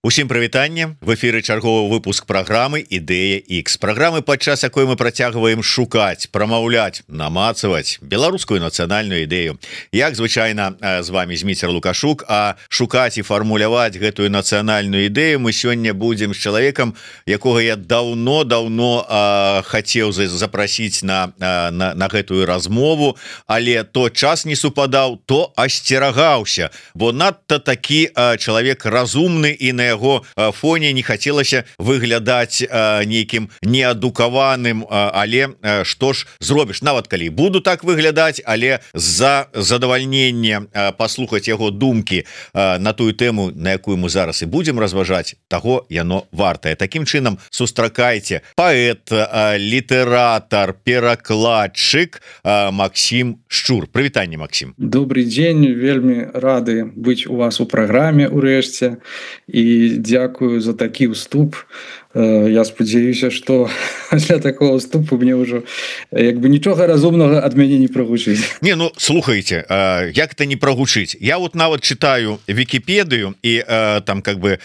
Усім прывітанне, в эфіры чарговы выпуск праграмы Ідэя X, праграмы, падчас якой мы працягваем шукаць, прамаўляць, намацаваць беларускую нацыянальную ідэю. Як звычайна з вами Зміцер Лукашук, а шукаць і фармуляваць гэтую нацыянальную ідэю мы сёння будзем з чалавекам, якога я даўно хацеў запрасіць на гэтую размову, але то час не супадаў, то асцерагаўся, бо надта такі чалавек разумны і на яго фоне не хацелася выглядаць нейкім неадукаваным, але што ж зробіш, нават калі буду так выглядаць, але за задавальненне паслухаць яго думкі на тую тэму, на якую мы зараз і будзем разважаць, таго яно вартае. Такім чынам сустракайце паэт, літаратар, перакладчык Максім Шчур. Прывітанне, Максім. Добрый дзень, вельмі рады быць у вас у праграме урэшце і дзякую за такі ўступ. Я спадзяюся, што для такого ўступу мне ўжо як бы нічога разумнага ад мяне не прагучыць. Не, ну слухайте, як это не прагучыць? Я вот нават читаю Википедию і там как бы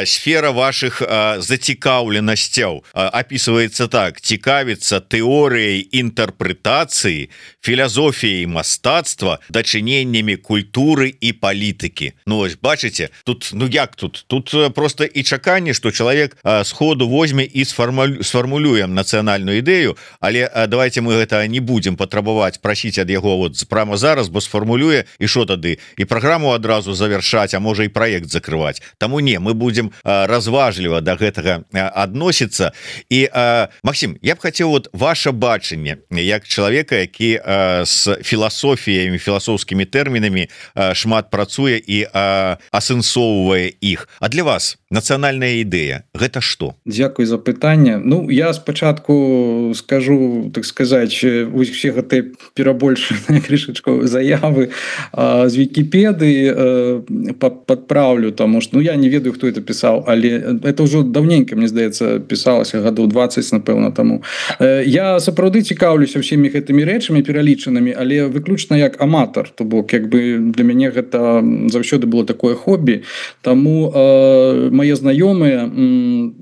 сфера ваших зацікаўленасцяў описывается так: цікавіцца тэорыяй інтэрпрэтацыі, філасофіяй мастацтва, дачыненнямі культуры і палітыкі. Ну вось бачыце, тут ну як тут просто і чаканне, што чалавек сходу возьме і сфармулюем нацыянальную ідэю, але давайте мы гэта не будем патрабаваць, прасіць ад яго вот прямо зараз, бо сфармулюе і що тады, і праграму адразу завершаць, а можа і праект закрываць. Таму не, мы будем разважліва да гэтага адносіцца. І Максім, я б хацеў вот ваше бачанне як чалавека, які з філасофіямі, філасофскімі тэрмінамі шмат працуе і асэнсоўвае іх. А для вас нацыянальная ідэя гэта што? Дзякуй за пытанне. Ну, я спачатку скажу, так сказаць, усе гэтыя перабольшаныя крышачку заявы з Вікіпедыі падпраўлю, таму што ну, я не ведаю, хто это пісаў, але это ўжо даўненька, мне здаецца, пісалася гадоў 20, напэўна, таму. Я сапраўды цікаўлюся ўсімі гэтымі рэчамі пералічанымі, але выключна як аматар, то бок як бы для мяне гэта заўсёды было такое хобі, таму мае знаёмыя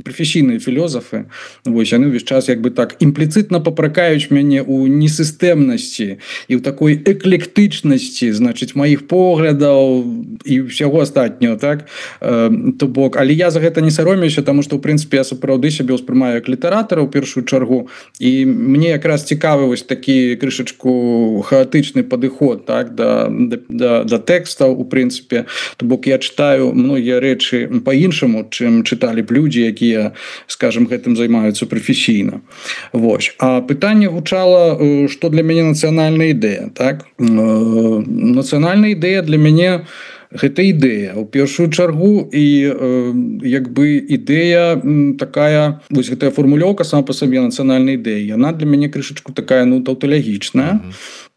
прафесійныя філосафы, вось яны ўвесь час як бы так імпліцытна папракаюць мяне ў несістэмнасці і ў такой эклектычнасці, значыць, маіх поглядаў і ўсяго астатняго, так? То бок, але я за гэта не саромеюся, таму што ў прынцыпе я сапраўды сябе ўспрымаю як літаратара ў першую чаргу, і мне якраз цікавы вось такі крышачку хаатычны падыход, так, да тэкстаў у прынцыпе. То бок я чытаю многія рэчы па-іншаму, чым чыталі б людзі, якія, скажем, гэтым займаюцца прафесійна. Вось. А пытанне гучала, што для мяне нацыянальная ідэя, так? Нацыянальная ідэя для мяне гэта ідэя ў першую чаргу, і як бы ідэя такая, вось гэтая фармулёўка сама па сабе нацыянальная ідэя, яна для мяне крышачку такая, ну, таўталагічная.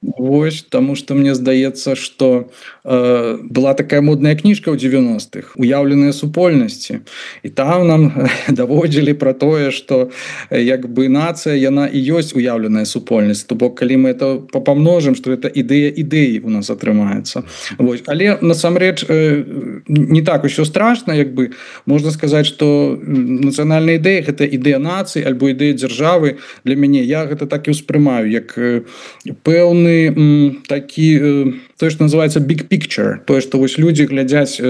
Вось, таму што мне здаецца, што была такая модная кніжка ў 90-х «Уяўленыя супольнасці», і там нам даводзілі пра тое, што як бы нацыя, яна і ёсць уяўленая супольнасць, то бок калі мы это памножым, што это ідэя ідэі у нас атрымаецца. Вось. Але насамрэч не так усё страшна, як бы можна сказаць, што нацыянальная ідэя гэта ідэя нацыі альбо ідэя дзяржавы. Для мяне я гэта так і ўспрымаю, як пэўны такі, тое, што называецца big picture, тое, што вось людзі глядзяць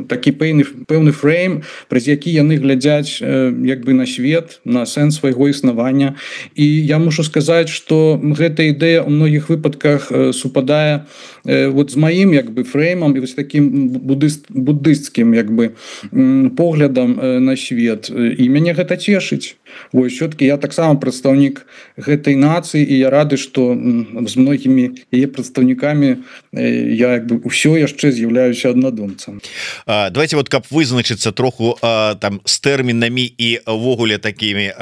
такі пэўны фрейм, праз які яны глядзяць як бы на свет, на сэнс свайго існавання. І я мушу сказаць, што гэта ідэя ў многіх выпадках супадае вот з маім як бы фреймам і вось такім буддысцкім як бы поглядам на свет. І мяне гэта цешыць. Вось, все-таки я таксама прадстаўнік гэтай нацыі, і я рады, што з многімі яе прадстаўнікамі я як бы ўсё яшчэ з'яўляюся аднадумцам. Давайте вот каб вызначыцца троху там з тэрмінамі і ўвогуле такімі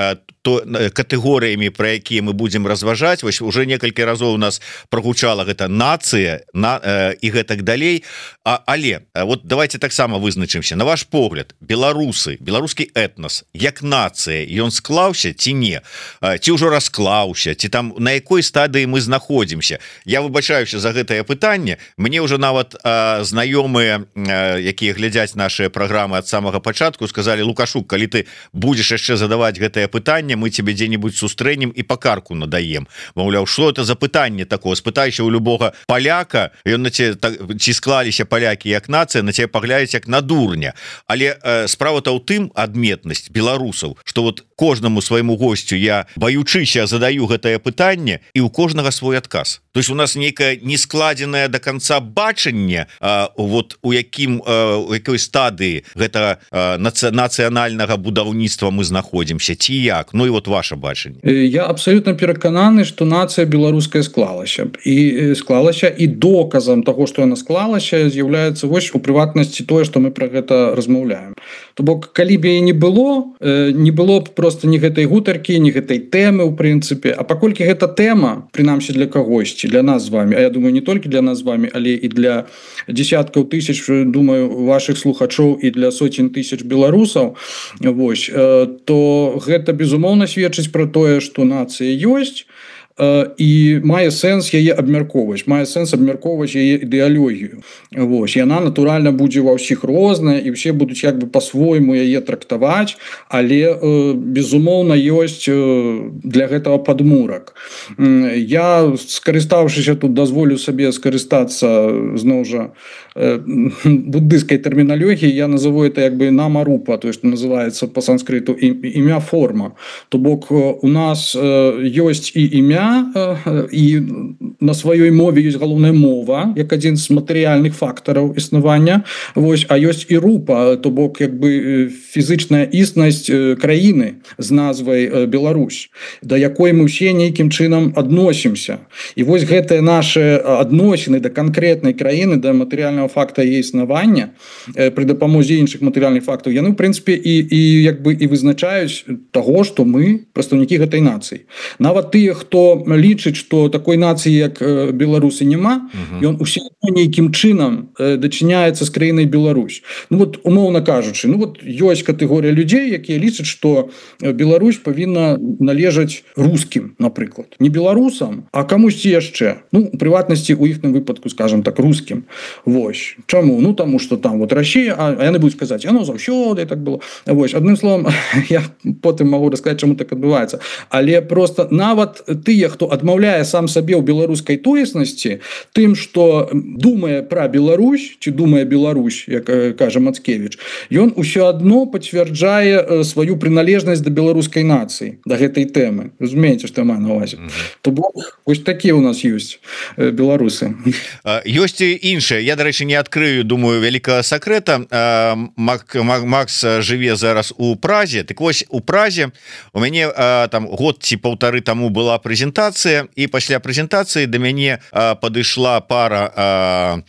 катэгорыямі, пра якія мы будзем разважаць. Вось уже некалькі разоў у нас прогучала гэта нацыя і гэтак далей. Але вот давайте таксама вызначымся. На ваш погляд, беларускі этнос як нацыя, ён склаўся ці не? Ці ўжо расклаўся, ці там на якой стадыі мы знаходзімся? Я выбачаюся за гэтае пытанне. Мне ўжо нават знаёмыя, якія глядзяць наши праграмы ад самага пачатку, сказали: Лукашук, калі ты будзеш яшчэ задаваць гэтае пытанне, мы тебе дзе-нибудь сустрэнем і пакарку надаем. Маўляў, что это за пытанне такое? Спытайся у любога паляка, ён на ці склаліся палякі як нацыя, на тебе паглядзяць як на дурня. Але справа-то ў тым, адметнасць беларусаў, что вот кожнаму свайму госцю я, баючыся, задаю гэтае пытанне, і у кожнага свой адказ. То есть у нас нейкае нескладзенае до конца бачанне, вот у якой стадыі гэта нацыянальнага будаўніцтва мы знаходзімся, ці як? Ну і вот ваше бачанне. Я абсолютно перакананы, что нацыя беларуская склалася, і доказам того, что яна склалася, з'яўляецца вось у прыватнасці тое, что мы про гэта размаўляем. То бок, калі б яе не было б просто ні гэтай гутаркі, ні гэтай тэмы у прынцыпе. А паколькі гэта тэма, прынамсі для кагосьці, для нас з вами, а я думаю, не толькі для нас з вами, але і для десяткаў тысяч, думаю, ваших слухачоў і для сотень тысяч беларусаў, вось, то гэта безумоўна сведчыць про тое, что нацыя ёсць, і мае сэнс яе абмяркоўваць, яе ідэалогію. Вось, яна натуральна будзе ва ўсіх розная, і все будуць як бы по-свойму яе трактаваць, але безумоўна ёсць для гэтага падмурак. Я, скарыстаўшыся тут, дазволю сабе скарыстацца зноў жа буддыйской терминологии, я назову это як бы намарупа, то есть называется по санскриту имя форма. То бок у нас ёсць і імя, і на сваёй мове ёсць галоўная мова як адзін з матэрыяльных фактараў існавання, вось, а ёсць і рупа, то бок як бы фізычная існасць краіны з назвай Беларусь, да якой мы ўсе нейкім чынам адносімся. І вось гэтыя нашы адносіны да канкрэтнай краіны, да матэрыяльнага факта яе існавання пры дапамозе іншых матэрыяльных фактаў, яны в прынцыпе і як бы і вызначаюць таго, што мы прадстаўнікі гэтай нацыі. Нават тыя, хто лічыць, што такой нацыі як беларусы няма, ён усё нейкім чынам дачыняецца з краінай Беларусь. Ну вот умоўна кажучы, ну вот ёсць катэгорыя людзей, якія лічаць, што Беларусь павінна належаць рускім, напрыклад, не беларусам, а камусьці яшчэ, ну у прыватнасці у іхным выпадку, скажем так, рускім. Вось. Чаму? Ну таму што там вот Россия, а яны будуць казаць, яно заўсёды так было. Вось, адным словом, я потым магу расказаць, чаму так адбываецца. Але просто нават тыя, хто адмаўляе сам сабе ў беларускай тоеснасці тым, што думае пра Беларусь, ці думае Беларусь, як кажа Мацкевіч, ён усё адно пацвярджае сваю прыналежнасць да беларускай нацыі, да гэтай тэмы. Разумееце, што я маю на ўвазе. То бок, вось такія ў нас ёсць беларусы. Ёсць і іншае. Я, дарэчы, не адкрыю, думаю, вялікага сакрэта. Макс жыве зараз у Празе. Так вось, у Празе у мяне там год ці паўтары таму была прэзентацыя, і пасля прэзентацыі да мяне падышла пара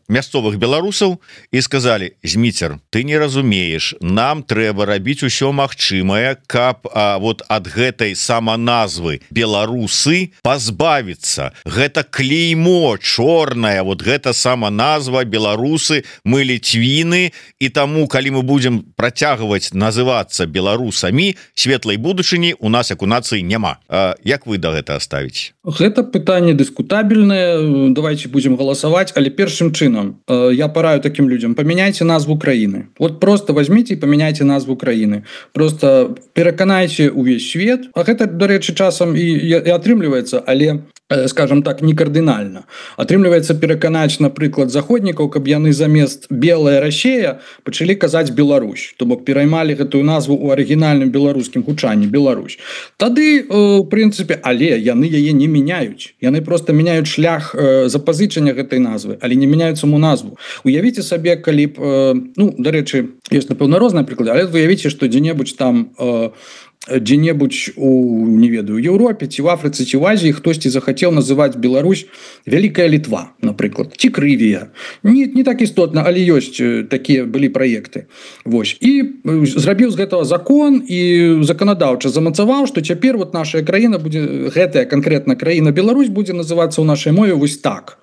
мясцовых беларусаў і сказалі: Зміцер, ты не разумееш, нам трэба рабіць усё магчымае, каб вот ад гэтай саманазвы беларусы пазбавіцца. Гэта клеймо чорнае, вот гэта сама назва беларусы, мы ліцвіны, і таму калі мы будзем працягваць называцца беларусамі, светлай будучыні у нас як у нацыі няма. Як вы да гэта ставіце? Гэта пытанне дыскутабельнае, давайте будзем галасаваць, але першым чынам я параю такім людзям: памяняйце назву краіны. Вот просто возьмите і памяняйце назву краіны. Просто пераканайце увесь свет, а гэта, дарэчы, часам і атрымліваецца, але, скажем так, не кардынальна. Атрымліваецца пераканаць, напрыклад, заходнікаў, каб яны замест белая Россия пачалі казаць Беларусь, то бок пераймалі гэтую назву ў арыгінальным беларускім гучанні Беларусь. Тады, в прынцыпе, але яны яе не мяняюць. Яны просто мяняюць шлях запазычання гэтай назвы, але не мяняюць саму назву. Уявіце сабе, калі б, ну, дарэчы, ёсць, напэўна, розныя прыклады, але уявіце, што дзе-небудзь там дзе-небудзь у не ведаю Еўропе ці в Афрыцы ці в Азіі хтосьці захацеў называць Беларусь вялікая Літва, напрыклад, ці Крывія, не так істотна, але ёсць такія былі праекты. Вось і зрабіў з гэтага закон і заканадаўча замацаваў, што цяпер вот наша краіна будзе, гэтая канкрэтна краіна Беларусь будзе называцца ў нашай мове вось так.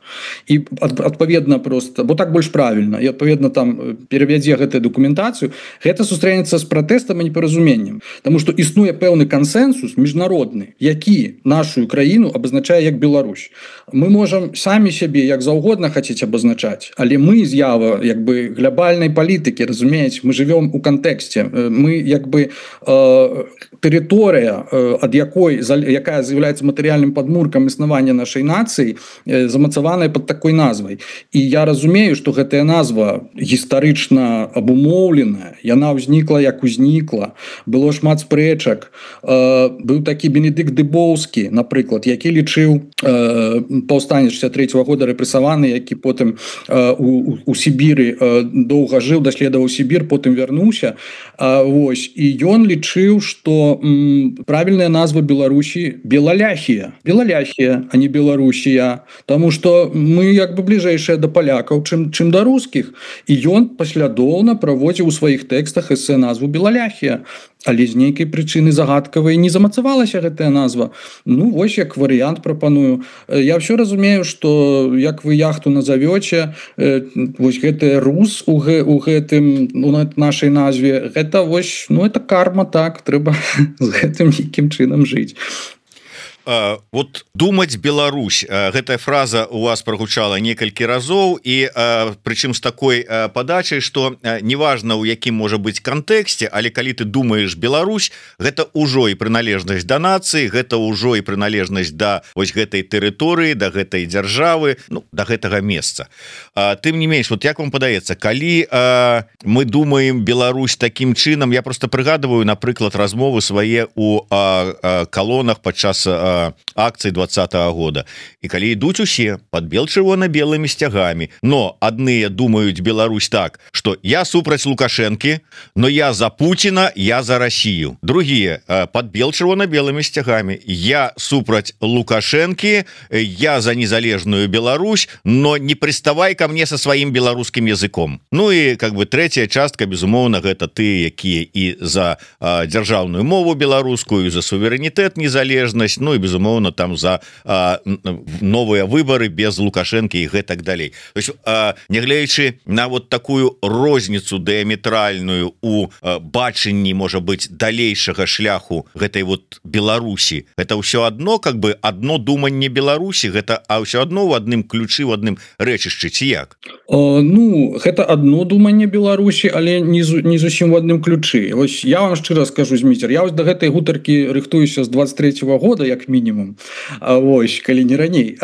І адпаведна просто, бо так больш правільна, і адпаведна там перавядзе гэтую дакументацыю, гэта сустрэнецца з пратэстам і непаразуменнем, таму што існуе пэўны кансэнсус міжнародны, які нашу краіну абазначае як Беларусь. Мы можам самі сябе як заўгодна хацець абазначаць, але мы з'ява як бы глобальнай палітыкі, разумееце, мы жывём у кантэксце, мы як бы тэрыторыя, ад якая з'яўляецца матэрыяльным падмуркам існавання нашай нацыі, замацавана под такой назвай. І я разумею, што гэтая назва гістарычна абумоўленая, яна ўзнікла як узнікла, было шмат спрэчак. Быў такі Бенедыкт Дыбоўскі, напрыклад, які лічыў паўстанне 63-го года рэпрэсаваны, які потым у Сібіры доўга жыў, даследаваў Сібір, потым вярнуўся. Вось. І ён лічыў, што правільная назва Беларусі Белаляхія, а не Беларусія, таму што мы як бы бліжэйшыя да палякаў, чым да рускіх. І ён паслядоўна праводзіў у сваіх тэкстах эсэ назву Белаляхія, але з нейкай прычыны загадкавай не замацавалася гэтая назва. Ну вось як варыянт прапаную. Я ўсё разумею, што як вы яхту назавёце, вось гэты рус у гэтым нашай назве, гэта вось, ну это карма, так, трэба з гэтым нейкім чынам жыць. Вот думаць Беларусь, гэтая фраза у вас прогучала некалькі разоў, і прычым з такой падачай, што неважна у якім можа быць кантэксце, але калі ты думаеш Беларусь, гэта ўжо і прыналежнасць да нацыі, гэта ўжо і прыналежнасць да вось гэтай тэрыторыі, да гэтай дзяржавы, ну, да гэтага месца. Тым не менш, вот як вам падаецца, калі мы думаем Беларусь такім чынам, я просто прыгадываю, напрыклад, размовы свае у калонах падчас акцыі 20-го года. І калі ідуць усе под бел-чырвона-белымі сцягамі, но адныя думаюць Беларусь так, што я супраць Лукашэнкі, но я за Путіна, я за Россию. Другие под бел-чырвона-белымі сцягамі, я супраць Лукашэнкі, я за незалежную Беларусь, но не приставай ко мне со сваім беларускім языком. Ну і как бы третья частка, безумоўна, гэта ты, якія і за дзяржаўную мову беларускую, за суверэнітэт, незалежнасць, ну і безумоўно там за новыя выборы без Лукашэнкі і гэтак далей. То есть нягледзячы на вот такую розніцу дыаметральную у бачанні, можа быць, далейшага шляху гэтай вот Беларусі, гэта ўсё адно как бы одно думанне Беларусі, гэта а ўсё адно ў адным ключы, в адным рэчышчы, ці як? Ну гэта одно думанне Беларусі, але не зусім в адным ключы. Вось я вам шчыра скажу, Зміцер, я вось да гэтай гутаркі рыхтуюся з 23-го года як мінімум, вось, калі не раней,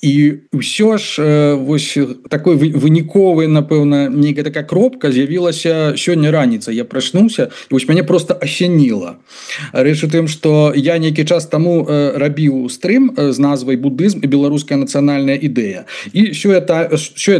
і ўсё ж вось такой выніковы, напэўна, нейкая такая кропка з'явілася сёння раніцай. Я прачнуўся і вось мяне просто асяніла. Рэч у тым, што я нейкі час таму рабіў стрым з назвай будызм і беларуская нацыянальная ідэя, і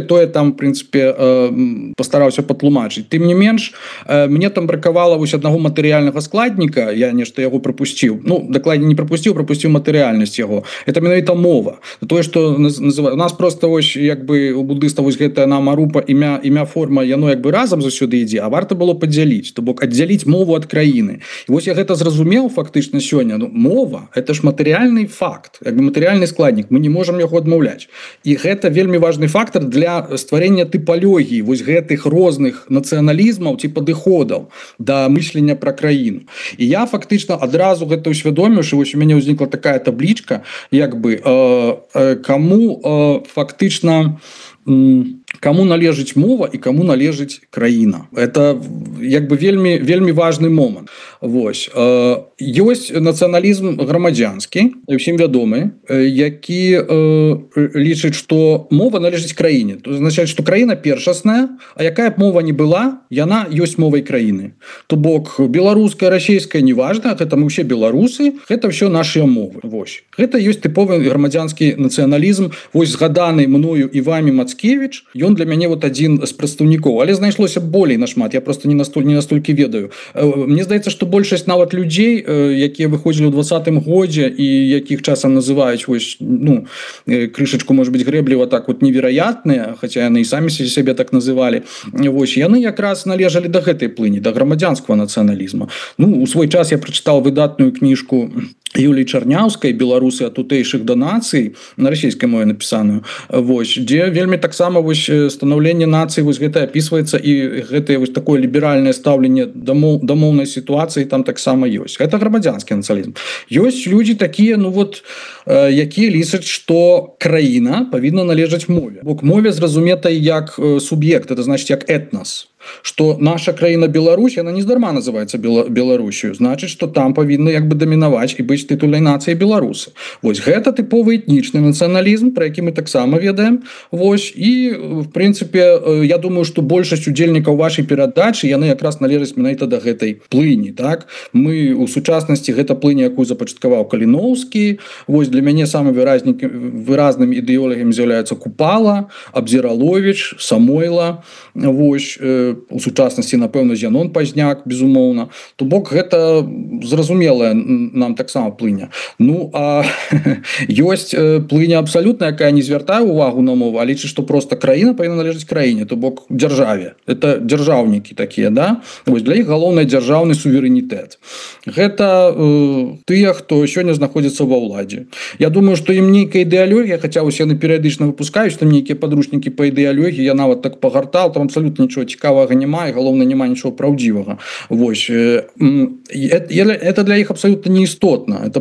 тое там в прынцыпе пастараўся патлумачыць. Тым не менш, мне там бракавала вось аднаго матэрыяльнага складніка, я нешта яго прапусціў, ну дакладней не прапусціў матэрыяльнасць яго. Это менавіта мова. Тое, што называю, у нас просто вось як бы у буддыстаў вось гэтая намарупа, імя, форма, яно як бы разам заўсёды ідзе, а варта было падзяліць, то бок аддзяліць мову ад краіны. І вось я гэта зразумеў фактычна сёння. Ну, мова это ж матэрыяльны факт, як бы матэрыяльны складнік, мы не можам яго адмаўляць. І гэта вельмі важны фактор для стварэння тыпалогіі вось гэтых розных нацыяналізмаў ці падыходаў да мыслення пра краіну. І я фактычна адразу гэта усвядоміў, што вось у мяне ўзнікла такая таблічка, як бы каму фактычна каму належыць мова і каму належыць краіна. Это як бы вельмі важны момант. Вось. Ёсць нацыяналізм грамадзянскі, усім вядомы, які лічыць, што мова належыць краіне. То азначае, што краіна першасная, а якая б мова не была, яна ёсць мовай краіны. То бок беларуская, расійская, неважна, гэта мы ўсе беларусы, гэта ўсё нашыя мовы. Вось. Гэта ёсць тыповы грамадзянскі нацыяналізм. Вось згаданы мною і вамі Мацкевіч, ён ён для мяне вот адзін з прадстаўнікоў, але знайшлося болей нашмат, я просто не настолькі ведаю. Мне здаецца, што большасць нават людзей, якія выходзілі ў 20-м годзе і якіх часам называюць вось, ну, крышачку, может быть, грэбліва так вот невероятныя, хаця яны і самі сябе так называлі, вось, яны якраз належалі да гэтай плыні, да грамадзянскага нацыяналізма. Ну, у свой час я прачытаў выдатную кніжку Юліі Чарняўскай «Беларусы ад тутэйшых да нацый», на расійскай мове напісаную, вось, дзе вельмі таксама вось станаўленне нацыі вось гэта апісваецца, і гэтае вось такое ліберальнае стаўленне да моўнай сітуацыі там таксама ёсць. Гэта грамадзянскі нацыяналізм. Ёсць людзі такія, ну вот, якія лічаць, што краіна павінна належаць мове. Бо к мове зразуметай як суб'ект, это значыць як этнас. Что наша краіна Беларусь, она нездарма называется Беларусью, значит, что там павінны як бы дамінаваць і быць тытульнай нацыяй беларусы. Вось гэта тыповы этнічны нацыяналізм, про які мы таксама ведаем. Вось, і в прынцыпе, я думаю, что большасць удзельнікаў вашай перадачы яны якраз належаць менавіта да гэтай плыні, так? Мы у сучаснасці гэта плыня, якую запачаткаваў Каліноўскі. Вось для мяне самым выразным ідэолагам з'яўляецца Купала, Абзіраловіч, Самойла. Вось, у сучаснасці, напэўна, Зянон Пазняк, безумоўна. То бок гэта зразумелая нам таксама плыня. Ну, а ёсць плыня абсалютна, якая не звяртае увагу на мову, а лічыць, што проста краіна павінна належаць краіне, то бок дзяржаве. Это дзяржаўнікі такія, да? Вось для іх галоўны дзяржаўны суверэнітэт. Гэта тыя, хто сёння знаходзіцца ва ўладзе. Я думаю, што ім нейкая ідэалогія, хаця ўсе яны перыядычна выпускаюць там нейкія падручнікі па ідэалогіі, я нават так пагартаў, там абсалютна нічого цікавага няма, і галоўна няма нічого праўдзівага. Вось, это для іх абсалютна неістотна.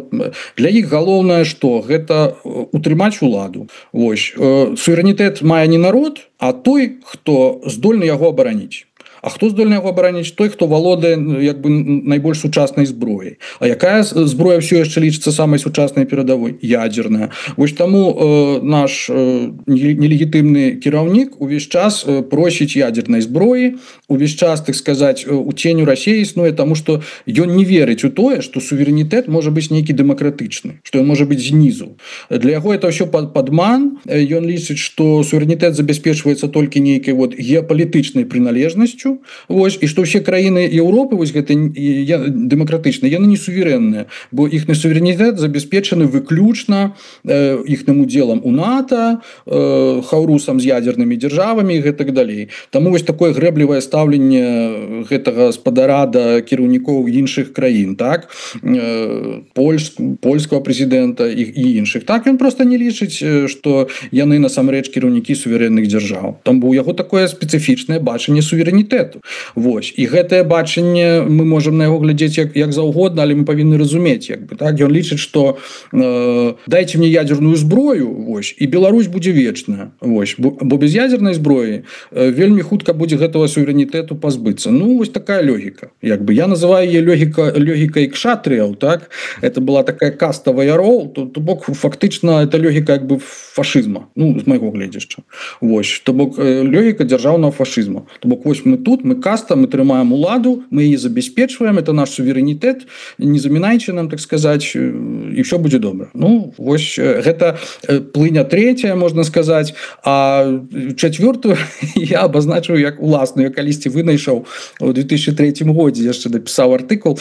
Для іх галоўнае што? Гэта утрымаць уладу. Вось, суверэнітэт мае не народ, а той, хто здольны яго абараніць. А хто здольны яго абараніць? Той, хто валодае як бы найбольш сучаснай зброяй. А якая зброя ўсё яшчэ лічыцца самай сучаснай перадавой? Ядзерная. Вось таму наш нелегітымны кіраўнік увесь час просіць ядзернай зброі, увесь час, так сказаць, у ценю Расіі існуе, таму што ён не верыць у тое, што суверэнітэт можа быць нейкі дэмакратычны, што ён можа быць знізу. Для яго это ўсё падман. Ён лічыць, што суверэнітэт забяспечваецца толькі нейкай вот геапалітычнай прыналежнасцю. Вось, і што ўсе краіны Еўропы вось гэта дэмакратычныя, яны не суверэнныя, бо іхны суверэнітэт забяспечаны выключна іхным удзелам у НАТО, хаўрусам з ядзернымі дзяржавамі і гэтак далей. Таму вось такое грэблівае стаўленне гэтага спадара да кіраўнікоў іншых краін, так? Польскага прэзідэнта і іншых. Так, ён проста не лічыць, што яны насамрэч кіраўнікі суверэнных дзяржаў. Там у яго такое спецыфічнае бачанне суверэнітэту. Вось, і гэтае бачанне мы можам на яго глядзець як заўгодна, але мы павінны разумець, як бы, так? Ён лічыць, што дайце мне ядзерную зброю, вось, і Беларусь будзе вечная. Вось, бо без ядзернай зброі вельмі хутка будзе гэтага суверэнітэту пазбыцца. Ну, вось такая логіка. Як бы я называю яе логікай кшатрыяў, так? Это была такая каста ваяроў, то бок фактычна это логіка як бы фашызма, ну, з майго гледзяшча. Вось, то бок логіка дзяржаўнага фашызма. То бок вось мы тут, мы каста, мы трымаем уладу, мы яе забяспечваем, это наш суверэнітэт, не замінайце нам, так сказаць, і ўсё будзе добра. Ну, вось гэта плыня третья, можна сказаць, а чацвёртую я абазначыў як уласную, я калісьці вынайшаў у 2003 годзе, яшчэ напісаў артыкул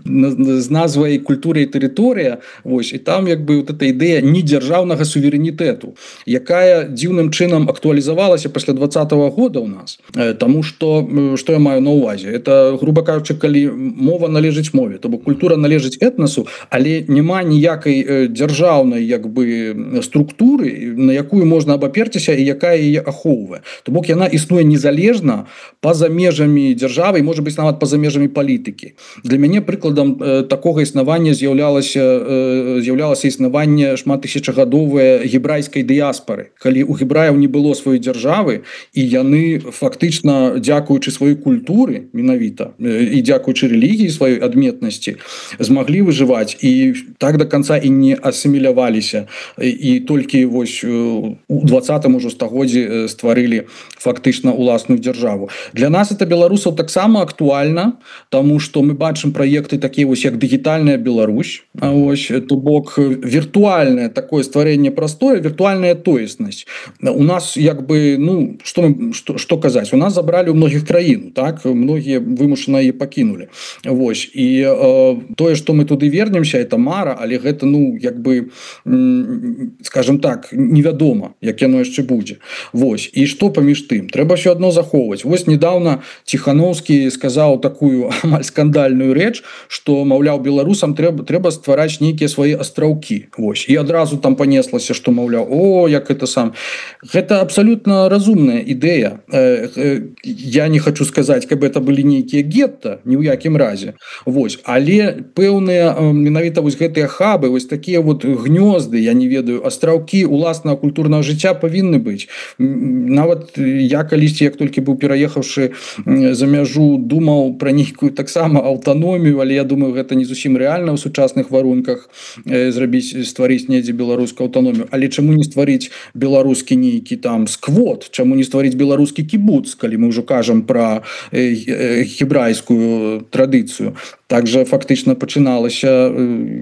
з назвай «Культура і тэрыторыя», вось, і там як бы вот эта ідэя недзяржаўнага суверэнітэту, якая дзіўным чынам актуалізавалася пасля 20-го года у нас. Таму што я маю на ўвазе? Это, грубо кажучы, калі мова належыць мове, то бок культура належыць этнасу, але няма ніякай дзяржаўнай як бы структуры, на якую можна абаперціся і якая яе ахоўвае. То бок яна існуе незалежна па-за межамі дзяржавы, можа быць нават па-за межамі палітыкі. Для мяне прыкладам такога існавання з'яўлялася існаванне шматтысячагадовае гебрайскай дыяспары, калі у гебраяў не было сваёй дзяржавы і яны фактычна фактычна дзякуючы сваёй культуры менавіта і дзякуючы рэлігіі сваёй адметнасці змаглі выжываць і так до конца і не асіміляваліся і толькі вось у 20-м ужо стагоддзі стварылі фактычна уласную дзяржаву. Для нас это беларусаў таксама актуальна, тому что мы бачым праекты такія вось як дыгітальная Беларусь, ось то бок віртуальнае такое стварэнне простое, віртуальная тоеснасць. У нас як бы ну что казаць, у нас забрали у многіх краін, так многія вымушана яе пакінули. Вось і тое, што мы туды вернемся, это мара, але гэта ну як бы скажем так, невядома, як яно яшчэ будзе. Вось і што паміж тым, трэба ўсё адно захоўваць. Вось недавно Ціхановскі сказаў такую амаль скандальную рэч, што маўляў беларусам трэба ствараць нейкія свае астраўкі. Вось і адразу там панеслася, што маўляў о як это сам. Гэта абсолютно разумная ідэя. Я не хочу сказаць, каб это былі нейкія гетта, ні ў якім разе. Вось, але пэўныя менавіта вось гэтыя хабы, вось такія вот гнёзды, я не ведаю, астраўкі уласнага культурнага жыцця павінны быць. Нават я калісьці, як толькі быў пераехаўшы за мяжу, думаў пра нейкую таксама аўтаномію, але я думаю, гэта не зусім рэальна ў сучасных варунках стварыць недзе беларускую аўтаномію. Але чаму не стварыць беларускі нейкі там сквот, чаму не стварыць беларускі кібуц, калі мы ўжо кажам пра гебрайскую традыцыю. Также фактычна пачыналася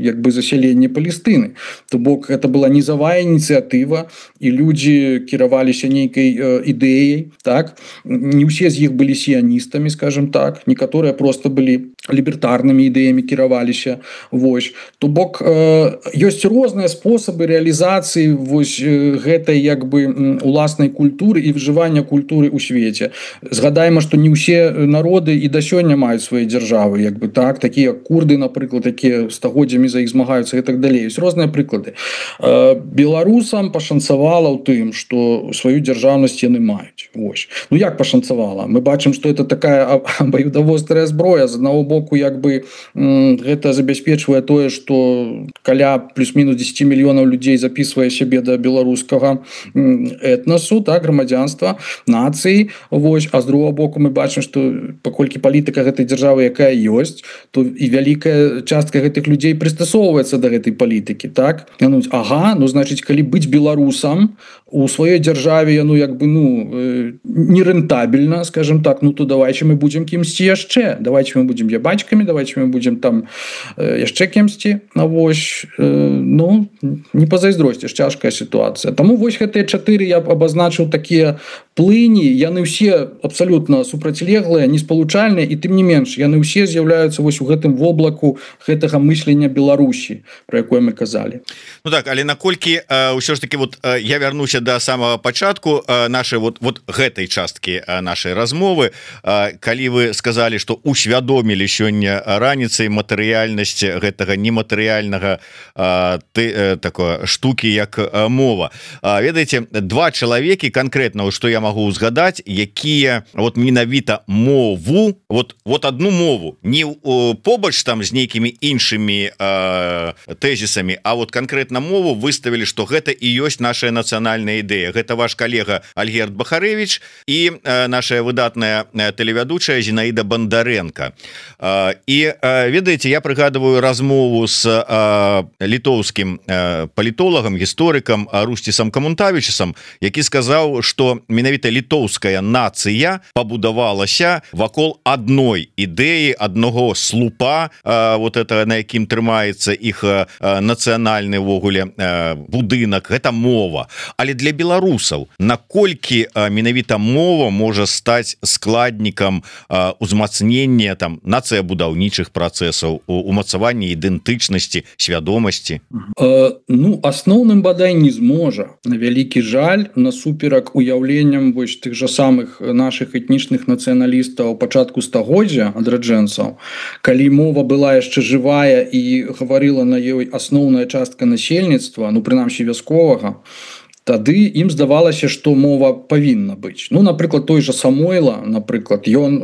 як бы засяленне Палестыны. То бок это была низавая ініцыятыва і людзі кіраваліся нейкай ідэяй, так? Не ўсе з іх былі сіяністамі, скажем так, некаторыя просто былі лібертарнымі ідэямі кіраваліся. Вось. То бок ёсць розныя спосабы рэалізацыі вось гэтай як бы уласнай культуры і выжывання культуры ў свеце. Згадаем, што не ўсе народы і да сёння маюць свае дзяржавы, як бы так, такія курды, напрыклад, такія стагоддзямі за іх змагаюцца і так далей. Ёсць розныя прыклады. Беларусам пашанцавала ў тым, што сваю дзяржаўнасць яны маюць. Вось. Ну як пашанцавала? Мы бачым, што это такая абаюдавострая зброя. З аднаго боку, як бы гэта забяспечвае тое, што каля плюс-мінус 10 мільёнаў людзей запісвае сябе да беларускага этнасу, так, грамадзянства, нацыі. Вось. А з другого боку мы бачым, што паколькі палітыка гэтай дзяржавы, якая ёсць, то і вялікая частка гэтых людзей прыстасоўваецца да гэтай палітыкі, так? Ага, ну значыць, калі быць беларусам у сваёй дзяржаве, ну як бы ну нерэнтабельна, скажем так, ну то давайте мы будзем кімсьці яшчэ, давайте мы будзем ябачкамі, давайте мы будзем там яшчэ кімсьці. Вось, ну не пазайздросціш, цяжкая сітуацыя. Таму вось гэтыя 4 я абазначыў такія плыні, яны ўсе абсалютна супрацьлеглыя, неспалучальныя, і тым не менш яны ўсе з'яўляюцца вось у гэтым воблаку гэтага мыслення Беларусі, пра якое мы казалі. Ну так, але наколькі ўсё ж таки вот я вярнуся до самого пачатку нашай вот гэтай часткі нашай размовы, калі вы сказалі, што усвядомілі сёння раніцай матэрыяльнасць гэтага нематэрыяльнага такое штукі як мова. Ведаеце, 2 чалавекі конкретно, што я могу узгадаць, якія вот менавіта мову, вот одну мову, не побач там з нейкімі іншымі тэзісамі, а вот конкретно мову выставілі, што гэта і ёсць наша нацыянальная ідэя. Гэта ваш калега Альгерд Бахарэвіч і наша выдатная тэлевядучая Зінаіда Бандарэнка. І ведаеце, я прыгадываю размову з літоўскім палітолагам, гісторыкам Русцісам Камунтавічысам, які сказаў, што менавіта літоўская нацыя пабудавалася вакол адной ідэі, аднаго слупа, вот это на якім трымаецца іх нацыянальны ввогуле будынак, гэта мова. Але для беларусаў наколькі менавіта мова можа стаць складнікам узмацнення там нацыябудаўнічых працэсаў, умацавання ідэнтычнасці, свядомасці? Ну, асноўным бадай не зможа. На вялікі жаль, насуперак уяўленням вось тых жа самых нашых этнічных нацыяналістаў пачатку стагоддзя, адраджэнцаў, калі мова была яшчэ жывая і гаварыла на ёй асноўная частка насельніцтва, ну прынамсі вясковага, тады ім здавалася, што мова павінна быць. Ну, напрыклад, той жа Самойла, напрыклад, ён,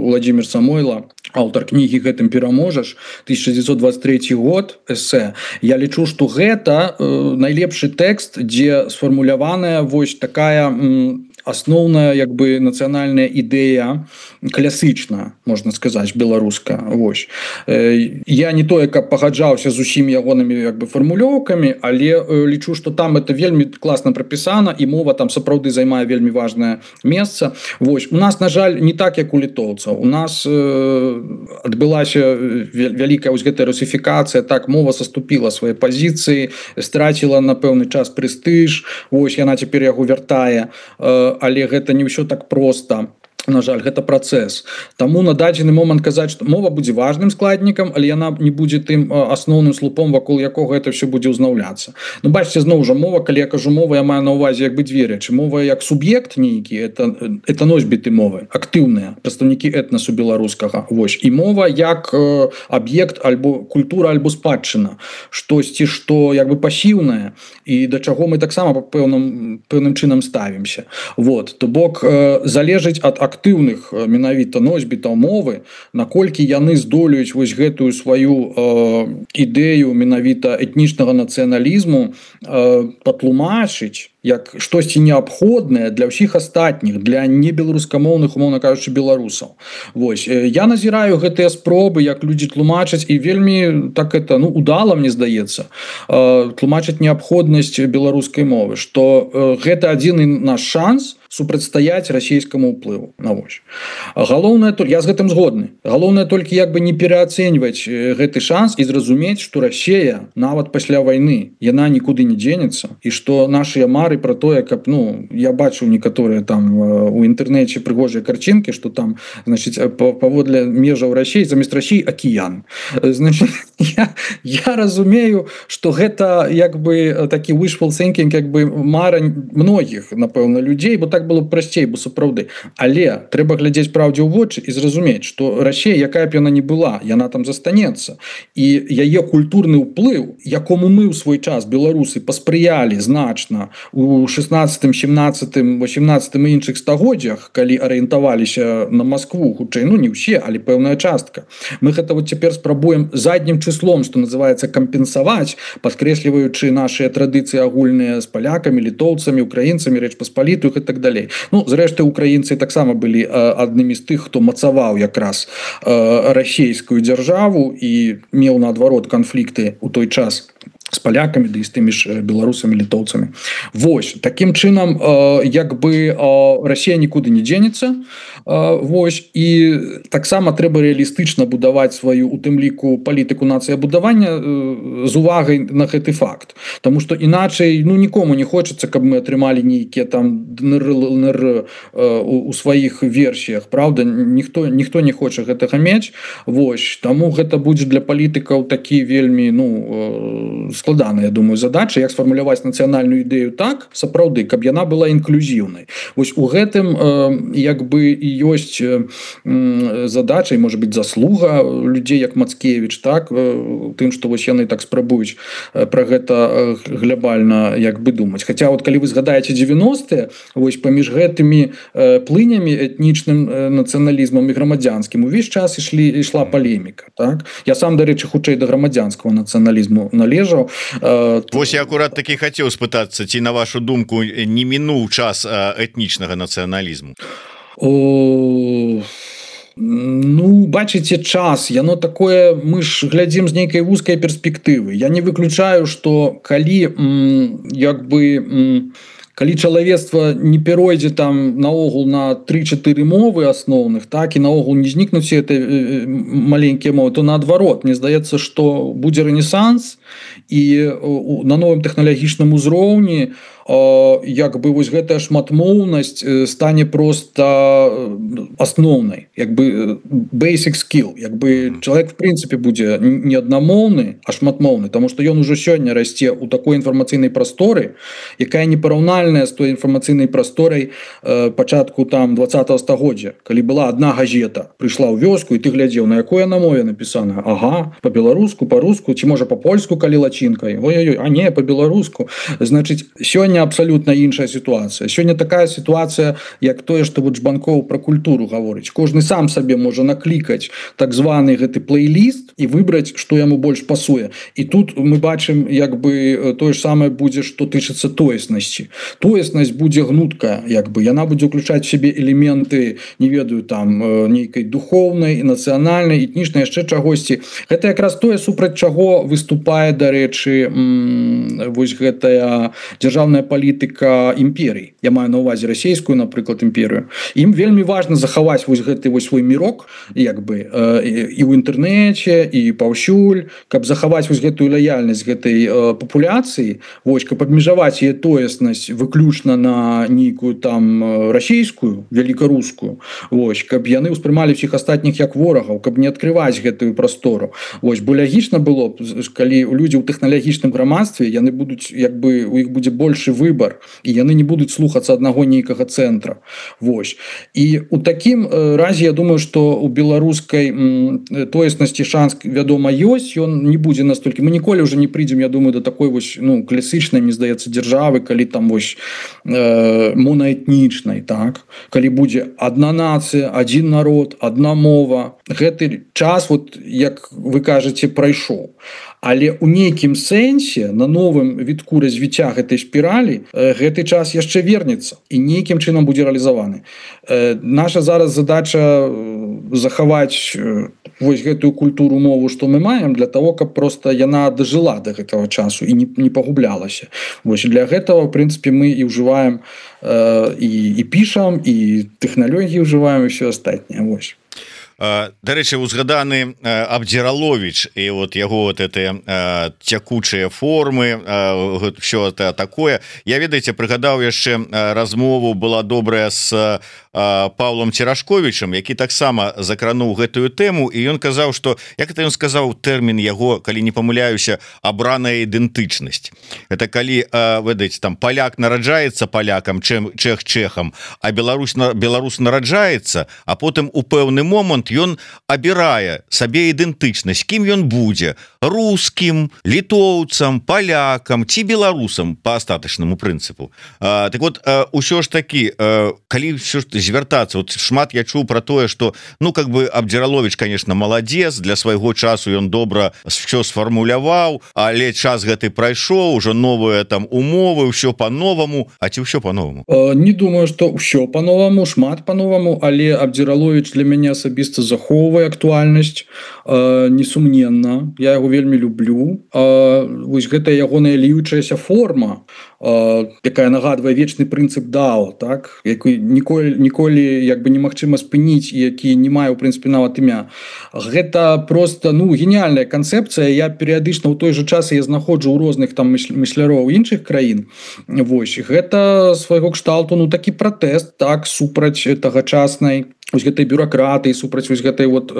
Владзімір Самойла, аўтар кнігі «Гэтым пераможаш», 1923 год, эсэ. Я лічу, што гэта найлепшы тэкст, дзе сфармуляваная вось такая асноўная як бы нацыянальная ідэя класычна, можна сказаць, беларуска. Вось. Я не тое, каб пагаджаўся з усімі ягонымі як бы фармулёўкамі, але лічу, што там это вельмі класна прапісана і мова там сапраўды займае вельмі важнае месца. Вось. У нас, на жаль, не так, як у літоўцаў. У нас адбылася вялікая вось гэтая русифікацыя, так мова саступіла свае пазіцыі, страціла на пэўны час прэстыж. Вось яна цяпер яго вяртае, але гэта не ўсё так проста. На жаль, гэта працэс. Таму на дадзены момант казаць, што мова будзе важным складнікам, але яна не будзе тым асноўным слупом, вакол якога гэта все будзе ўзнаўляцца. Ну, бачыце, зноў жа мова, калі я кажу мова, я маю на ўвазе як бы дзве рэчы. Мова як суб'ект нейкі, это носьбіты мовы, актыўныя прадстаўнікі этнасу беларускага. Вось. І мова як аб'ект альбо культура альбо спадчына, штосьці, што як бы пасіўнае і да чаго мы таксама пэўным чынам ставімся. Вот. То бок залежыць ад актыўных менавіта носьбітаў мовы, наколькі яны здолеюць вось гэтую сваю ідэю менавіта этнічнага нацыяналізму патлумачыць як штосьці неабходнае для ўсіх астатніх, для небеларускамоўных, умоўна кажучы, беларусаў. Вось. Я назіраю гэтыя спробы, як людзі тлумачаць, і вельмі так это, ну, удала, мне здаецца, тлумачыць неабходнасць беларускай мовы, што гэта адзіны наш шанс супрацьстаяць расійскаму ўплыву. Вось. Галоўнае, я з гэтым згодны. Галоўнае толькі як бы не пераацэньваць гэты шанс і зразумець, што Расія нават пасля вайны яна нікуды не дзенецца, і што нашыя мары про тое, каб, ну, я бачу некаторыя там у інтэрнэце прыгожыя карцінкі, што там, значыць, паводле межаў Расіі замест Расіі акіян. Значыць, я разумею, што гэта як бы такі wishful thinking, як бы мара многіх, напэўна, людзей, бо так было б прасцей, бо сапраўды. Але трэба глядзець праўдзе ў вочы і зразумець, што Расія, якая б яна не была, яна там застанецца. І яе культурны ўплыў, якому мы ў свой час, беларусы, паспрыялі значна у 16, 17, 18 і іншых стагоддзях, калі арыентаваліся на Маскву, хутчэй, ну не ўсе, але пэўная частка. Мы гэта вот цяпер спрабуем заднім числом, што называецца, кампенсаваць, падкрэсліваючы нашыя традыцыі агульныя з палякамі, літоўцамі, украінцамі, Рэч Паспалітую і так далей. Ну, зрэшты, украінцы таксама былі аднымі з тых, хто мацаваў якраз расійскую дзяржаву і меў наадварот канфлікты ў той час з палякамі, ды і з тымі ж беларусамі, літоўцамі. Вось, такім чынам, як бы Расія нікуды не дзенецца. Вось, і таксама трэба рэалістычна будаваць сваю, у тым ліку, палітыку нацыябудавання з увагай на гэты факт. Таму што іначай, ну, нікому не хочацца, каб мы атрымалі нейкія там ДНР у сваіх версіях, правда? Ніхто не хоча гэтага мець. Вось, таму гэта будзе для палітыкаў такі вельмі, ну, складаная, я думаю, задача, як сфармуляваць нацыянальную ідэю так, сапраўды, каб яна была інклюзіўнай. Вось у гэтым як бы і ёсць задача, і, можа быць, заслуга людзей, як Мацкевіч, так, тым, што вось яны так спрабуюць пра гэта глябальна як бы думаць. Хаця, вот, калі вы згадаеце 90-е, вось паміж гэтымі плынямі этнічным нацыяналізмам і грамадзянскім увесь час ішла палеміка, так? Я сам, дарэчы, хутчэй да грамадзянскага нацыяналізму належаў. Вось я акурат такі хацеў спытацца, ці на вашу думку не мінуў час этнічнага нацыяналізму? Ну, бачыце, час, яно такое, мы ж глядзім з нейкай вузкай перспектывы. Я не выключаю, што калі як бы калі чалавецтва не перайдзе там наогул на 3-4 мовы асноўных, так, і наогул не знікнуць все этой маленькія мовы, то наадварот, мне здаецца, што будзе рэнесанс і на новым тэхналагічным узроўні як бы вось гэтая шматмоўнасць стане просто асноўнай, як бы basic skill, як бы чалавек в прынцыпе будзе не аднамоўны, а шматмоўны, таму што ён ужо сёння расце ў такой інфармацыйнай прасторы, якая непараўнальная з той інфармацыйнай прасторай пачатку там 20-го стагоддзя, калі была адна газета, прыйшла ў вёску і ты глядзеў, на якой на мове напісана. Ага, по-беларуску, по-руску, ці можа по-польску, калі лацінкай. Ой-ой-ой, а не, по-беларуску. Значыць, сёння сёння абсолютно іншая сітуацыя. Сёння такая сітуацыя, як тое, што вот Жбанкоў пра культуру гаворыць. Кожны сам сабе можа наклікаць так званы гэты плейліст і выбраць, што яму больш пасуе. І тут мы бачым, як бы тое ж самае будзе, што тычыцца тоеснасці. Тоеснасць будзе гнуткая, як бы яна будзе ўключаць в сябе элементы, не ведаю, там нейкай духоўнай, нацыянальнай, этнічнай, яшчэ чагосьці. Гэта якраз тое, супраць чаго выступае, дарэчы, вось гэтая дзяржаўная палітыка імперій. Я маю на ўвазе расійскую, напрыклад, імперію. Ім вельмі важна захаваць вось гэты вось свой мірок, як бы і ў інтэрнэце, і паўсюль, каб захаваць вось гэтую лаяльнасць гэтай папуляцыі, вось, каб абмежаваць яе тоеснасць выключна на нейкую там расійскую, великарускую, вось, каб яны ўспрымалі всіх астатніх як ворагаў, каб не адкрываць гэтую прастору. Вось, бо лягічна было, калі людзі ў тэхналагічным грамадстве, яны будуць, як бы, у іх будзе большы выбар, і яны не будуць слухацца аднаго нейкага цэнтра. Вось. І у такім разе, я думаю, што у беларускай тоеснасці шанс, вядома, ёсць, ён не будзе настолькі. Мы ніколі ўжо не прыйдзем, я думаю, да такой вось, ну, класічнай, мне здаецца, дзяржавы, калі там вось монаэтнічнай, так? Калі будзе адна нацыя, адзін народ, адна мова. Гэты час, вот, як вы кажаце, прайшоў. Але ў нейкім сэнсе на новым вітку развіцця гэтай спіралі гэты час яшчэ вернецца і нейкім чынам будзе рэалізаваны. Наша зараз задача захаваць вось гэтую культуру, мову, што мы маем, для того, каб проста яна дажыла да гэтага часу і не пагублялася. Вось для гэтага, в прынцыпе, мы і ўжываем і пішам, і тэхналогіі ўжываем, і ўсё астатняе. Вось. Дарэчы, узгаданы Абдзіраловіч і вот яго вот эти цякучыя формы, все это такое. Я, ведаеце, прыгадаў яшчэ размову, была добрая з Павлом Церашковічам, які таксама закрануў гэтую тэму, і ён казаў, што, як это ён сказаў, тэрмін яго, калі не памыляюся, абраная ідэнтычнасць. Это калі, ведаеце, там паляк нараджаецца палякам, чэх чэхам, а беларус нараджаецца, а потым у пэўны момант ён абірае сабе ідэнтычнасць, кім ён будзе: рускім, літоўцам, палякам ці беларусам па астатачнаму прынцыпу. Так вот, усё ж такі, калі ўсё ж звяртацца, вот шмат я чуў пра тое, што, ну, как бы Абдзіраловіч, конечно, маладзец, для свайго часу ён добра все сфармуляваў, але час гэты прайшоў, ужо новыя там умовы, ўсё по-новаму. А ці ўсё по-новаму? Не думаю, што ўсё по-новаму, шмат по-новаму, але Абдзіраловіч для мяне асабіста захоўвае актуальнасць, несумненна. Я яго вельмі люблю. Вось гэта ягоная ліючаяся форма, якая нагадвае вечны прынцып дао, так, які ніколі як бы немагчыма спыніць, які не мае, у прынцыпе, нават імя. Гэта просто, ну, геніяльная канцэпцыя. Я перыядычна ў той жа час я знаходжу ў розных там мысляроў іншых краін. Вось, гэта свайго кшталту, ну, такі пратэст, так, супраць тагачаснай вось гэтай бюракратыі, супраць вось гэтай вот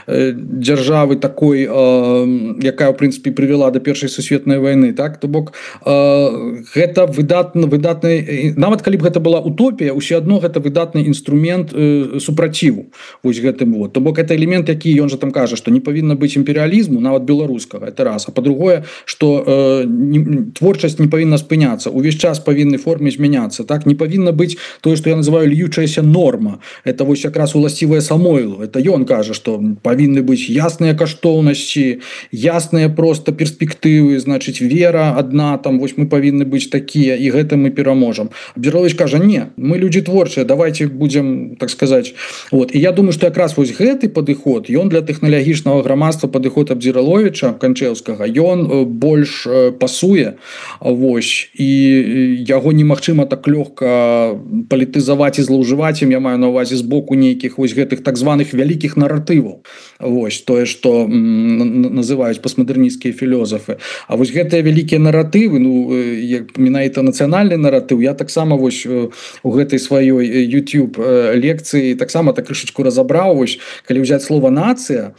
дзяржавы такой, якая, ў прынцыпе, прывяла да першай сусветнай вайны, так, то бок гэта выдатны, нават калі б гэта была утопія, ўсё адно гэта выдатны інструмент супраціву вось гэтым вот. То бок гэта элемент, які ён жа там кажа, што не павінна быць імперыялізму, нават беларускага, это раз. А па-другое, што творчасць не павінна спыняцца, увесь час павінны форме змяняцца, так, не павінна быць тое, што я называю льючаяся норма. Это вось якраз уласцівае Самойлу. Это ён кажа, што павінны быць ясныя каштоўнасці, ясныя просто перспектывы, значыць, вера адна, там вось мы павінны быць такія, і гэта мы пераможам. Абдзіраловіч кажа: не, мы людзі творчыя, давайте будзем, так сказаць. Вот. І я думаю, што якраз вось гэты падыход, ён для тэхналагічнага грамадства, падыход Абдзіраловіча Канчэўскага, ён больш пасуе, вось, і яго немагчыма так лёгка палітызаваць і злоўжываць ім, я маю на ўвазе з боку нейкіх вось гэтых так званых вялікіх наратываў. Вось тое, што называюць постмадэрнісцкія філёзафы. А вось гэтыя вялікія наратывы, ну, менавіта нацыянальны наратыў, я таксама вось у гэтай сваёй YouTube лекцыі таксама так крышачку разабраў. Вось калі ўзяць слова нацыя,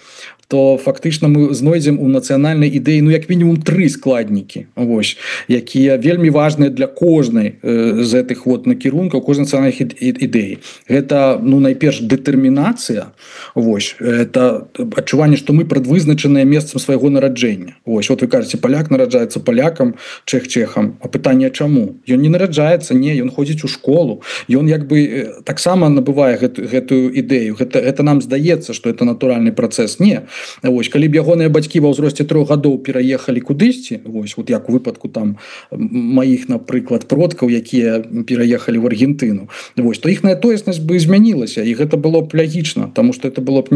то фактычна мы знойдзем у нацыянальнай ідэі ну як мінімум 3 складнікі вось якія вельмі важныя для кожнай з гэтых вот накірункаў кожнай нацыянальных ідэй. Гэта ну найперш дэтэрмінацыя вось это адчуванне што мы прадвызначаныя месцам свайго нараджэння. Вось вот вы кажаце паляк нараджаецца палякам чэх чэхам, а пытанне чаму ён не нараджаецца, не ён ходзіць у школу, ён як бы таксама набывае гэтую ідэю. Гэта нам здаецца што это натуральны працэс. Не вось калі б ягоныя бацькі ва ўзросце 3 гадоў пераехалі кудысьці вось вот як у выпадку там маіх напрыклад продкаў якія пераехалі в Аргентыну вось то іхная тоеснасць бы змянілася і гэта было б лягічна тому что это было б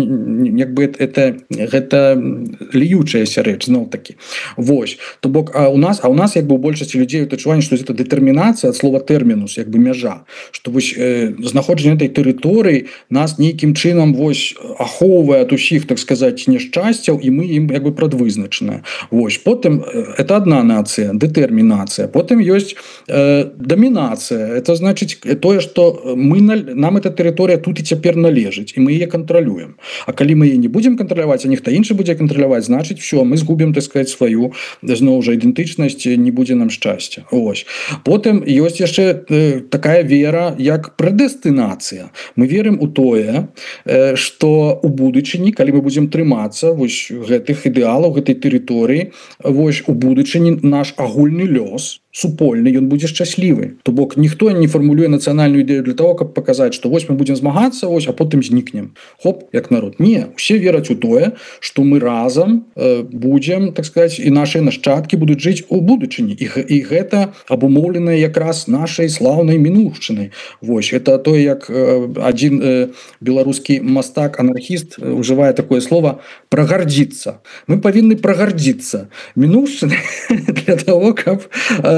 як бы гэта льючаяся рэч зноў такі вось то бок у нас як бы у большасці людзей адчуванне што это дэтэрмінацыя ад слова тэрмінус як бы мяжа што вось знаходжанне этой тэрыторыі нас нейкім чынам вось ахоўвае ад усіх так сказаць няшчасцяў і мы ім як бы прадвызначаныя. Вось потым это одна нацыя дэтэрмінацыя, потым ёсць дамінацыя. Это значыць тое што нам эта тэрыторыя тут і цяпер належыць і мы яе кантралюем. А калі мы яе не будзем кантраляваць, а нехта іншы будзе кантраляваць, значыць все мы згубім так сказать сваю зноў жа ідэнтычнасць, не будзе нам шчасця. Ось потым ёсць яшчэ такая вера як прэдэстынацыя. Мы верым у тое што у будучыні калі мы будзем трымацца вось гэтых ідэалаў гэтай тэрыторыі вось у будучыні наш агульны лёс супольны ён будзе шчаслівы. То бок ніхто не фармулюе нацыянальную ідэю для того каб паказаць што вось мы будзем змагацца вось а потым знікнем хоп як народ. Не усе вераць у тое што мы разам будзем так сказать і нашыя нашчадкі будуць жыць у будучыні і гэта абумоўленае якраз нашай слаўнай мінуўшчынай. Вось это тое як адзін беларускі мастак анархіст ужывае такое слово прагардзіцца. Мы павінны прагардзіцца мінуўшчынай для того каб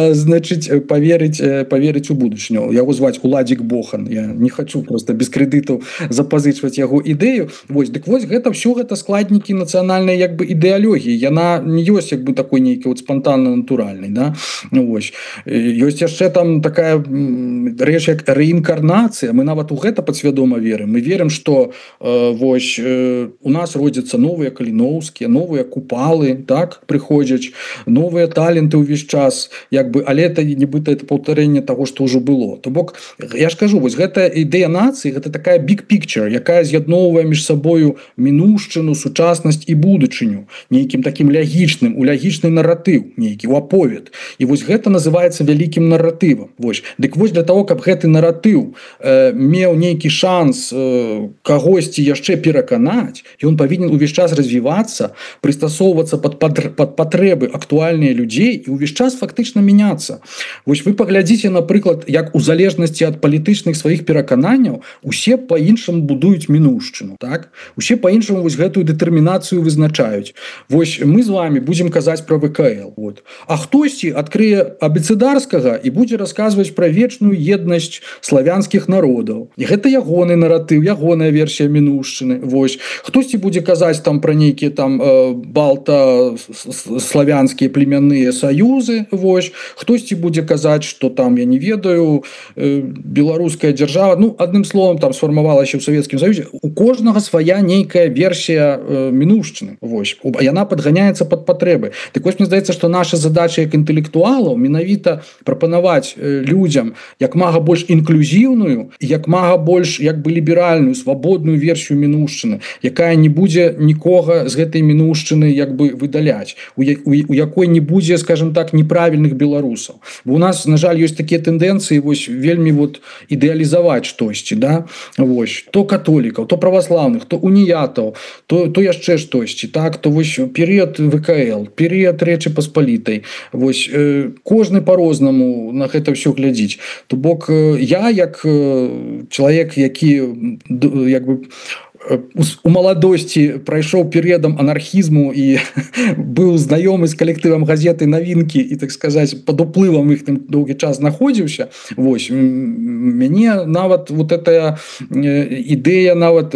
значыць поверыць у будучыню. Яго зваць Уладзік Бохан. Я не хочу просто без крэдытаў запазычваць яго ідэю. Вось дык вось гэта все гэта складнікі нацыянальнай як бы ідэалогіі. Яна не ёсць як бы такой нейкі вот спонтанна натуральнай, да? Ну вось ёсць яшчэ там такая рэч як рэінкарнацыя. Мы нават у гэта падсвядома верым. Мы верым што вось у нас родзяцца новыя каліноўскія, новыя купалы, так прыходзяць новыя таленты ўвесь час як бы, але это нібыта это паўтарэнне таго што ўжо было. То бок я ж кажу вось гэта ідэя нацыі гэта такая big picture якая з'ядноўвае між сабою мінуўшчыну, сучаснасць і будучыню нейкім такім лягічным у лагічны наратыў нейкі у аповед. І вось гэта называецца вялікім наратывам. Вось дык вось для того каб гэты наратыў меў нейкі шанс кагосьці яшчэ пераканаць ён павінен увесь час развівацца прыстасоўвацца пад патрэбы актуальныя людзей і увесь час фактычна мяняцца. Вось вы паглядзіце напрыклад як у залежнасці ад палітычных сваіх перакананняў усе па-іншаму будуюць мінуўшчыну, так усе па-іншаму вось гэтую дэтэрмінацыю вызначаюць. Вось мы з вами будзем казаць пра ВКЛ вот. А хтосьці адкрые абецэдарскага і будзе расказваць пра вечную еднасць славянскіх народаў і гэта ягоны наратыў, ягоная версія мінуўшчыны. Вось хтосьці будзе казаць там пра нейкія там балта-славянскія племянныя саюзы. Вось хтосьці будзе казаць што там я не ведаю беларуская дзяржава ну адным словом там сфармавалася ў Савецкім Саюзе. У кожнага свая нейкая версія мінуўшчыны. Вось яна падганяецца пад патрэбы. Так вось мне здаецца што наша задача як інтэлектуалаў менавіта прапанаваць людзям як мага больш інклюзіўную як мага больш як бы ліберальную свабодную версію мінуўшчыны якая не будзе нікога з гэтай мінуўшчыны як бы выдаляць у якой не будзе скажем так неправільных беларусаў. Бо у нас на жаль ёсць такія тэндэнцыі вось вельмі вот ідэалізаваць штосьці, да вось то католікаў, то праваслаўных, то уніятаў, то яшчэ штосьці, так то вось перыяд ВКЛ, перыяд Рэчы Паспалітай. Вось кожны по-рознаму на гэта ўсё глядзіць. То бок я як чалавек які як бы у маладосці прайшоў перыядам анархізму і быў знаёмы з калектывам газеты навінкі і так сказаць пад уплывам іх там доўгі час знаходзіўся. Вось мяне нават вот эта ідэя нават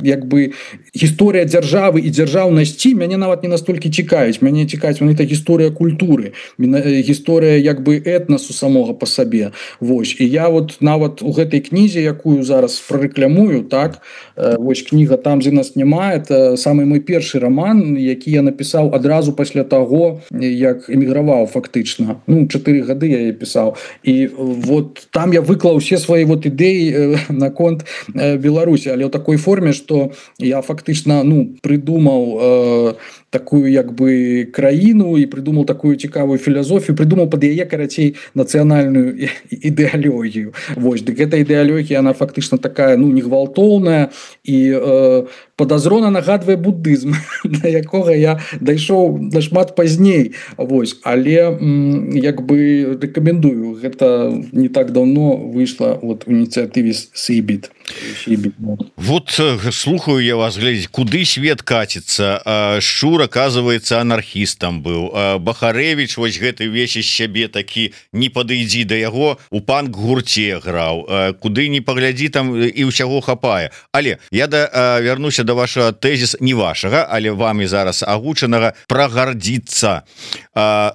як бы гісторыя дзяржавы і дзяржаўнасці мяне нават не настолькі цікавіць, мяне цікавіць это гісторыя культуры, гісторыя як бы этнасу самога по сабе. Вось, і я вот нават у гэтай кнізе, якую зараз прарэкламую, так, вось кніга «Там, дзе нас няма», это самы мой першы роман, які я напісаў адразу пасля таго, як эміграваў фактычна. 4 гады я яе пісаў. І вот там я выклаў усе свае вот ідэі наконт Беларусі, але ў такой форме, што я фактычна прыдумаў такую як бы краіну і прыдумаў такую цікавую філасофію, прыдумаў пад яе, карацей, нацыянальную ідэалогію. Вось, дык эта ідэалогія, она фактычна такая, негвалтоўная і подазрона нагадвае буддызм, да якога я дайшоў нашмат пазней. Вось, але як бы рэкамендую, гэта не так давно выйшла вот у ініцыятыве Сейбіт. Вот слухаю я вас, глядзець, куды свет каціцца. Шчур, оказывается, анархістам быў. Бахарэвіч вось гэты весь з сябе такі, не падыдзі да яго, у панк-гурце граў. Куды не паглядзі, там і ўсяго хапае. Але я вярнуся до вашего тезіса, не вашага, але вами зараз агучанага, прагардзіцца.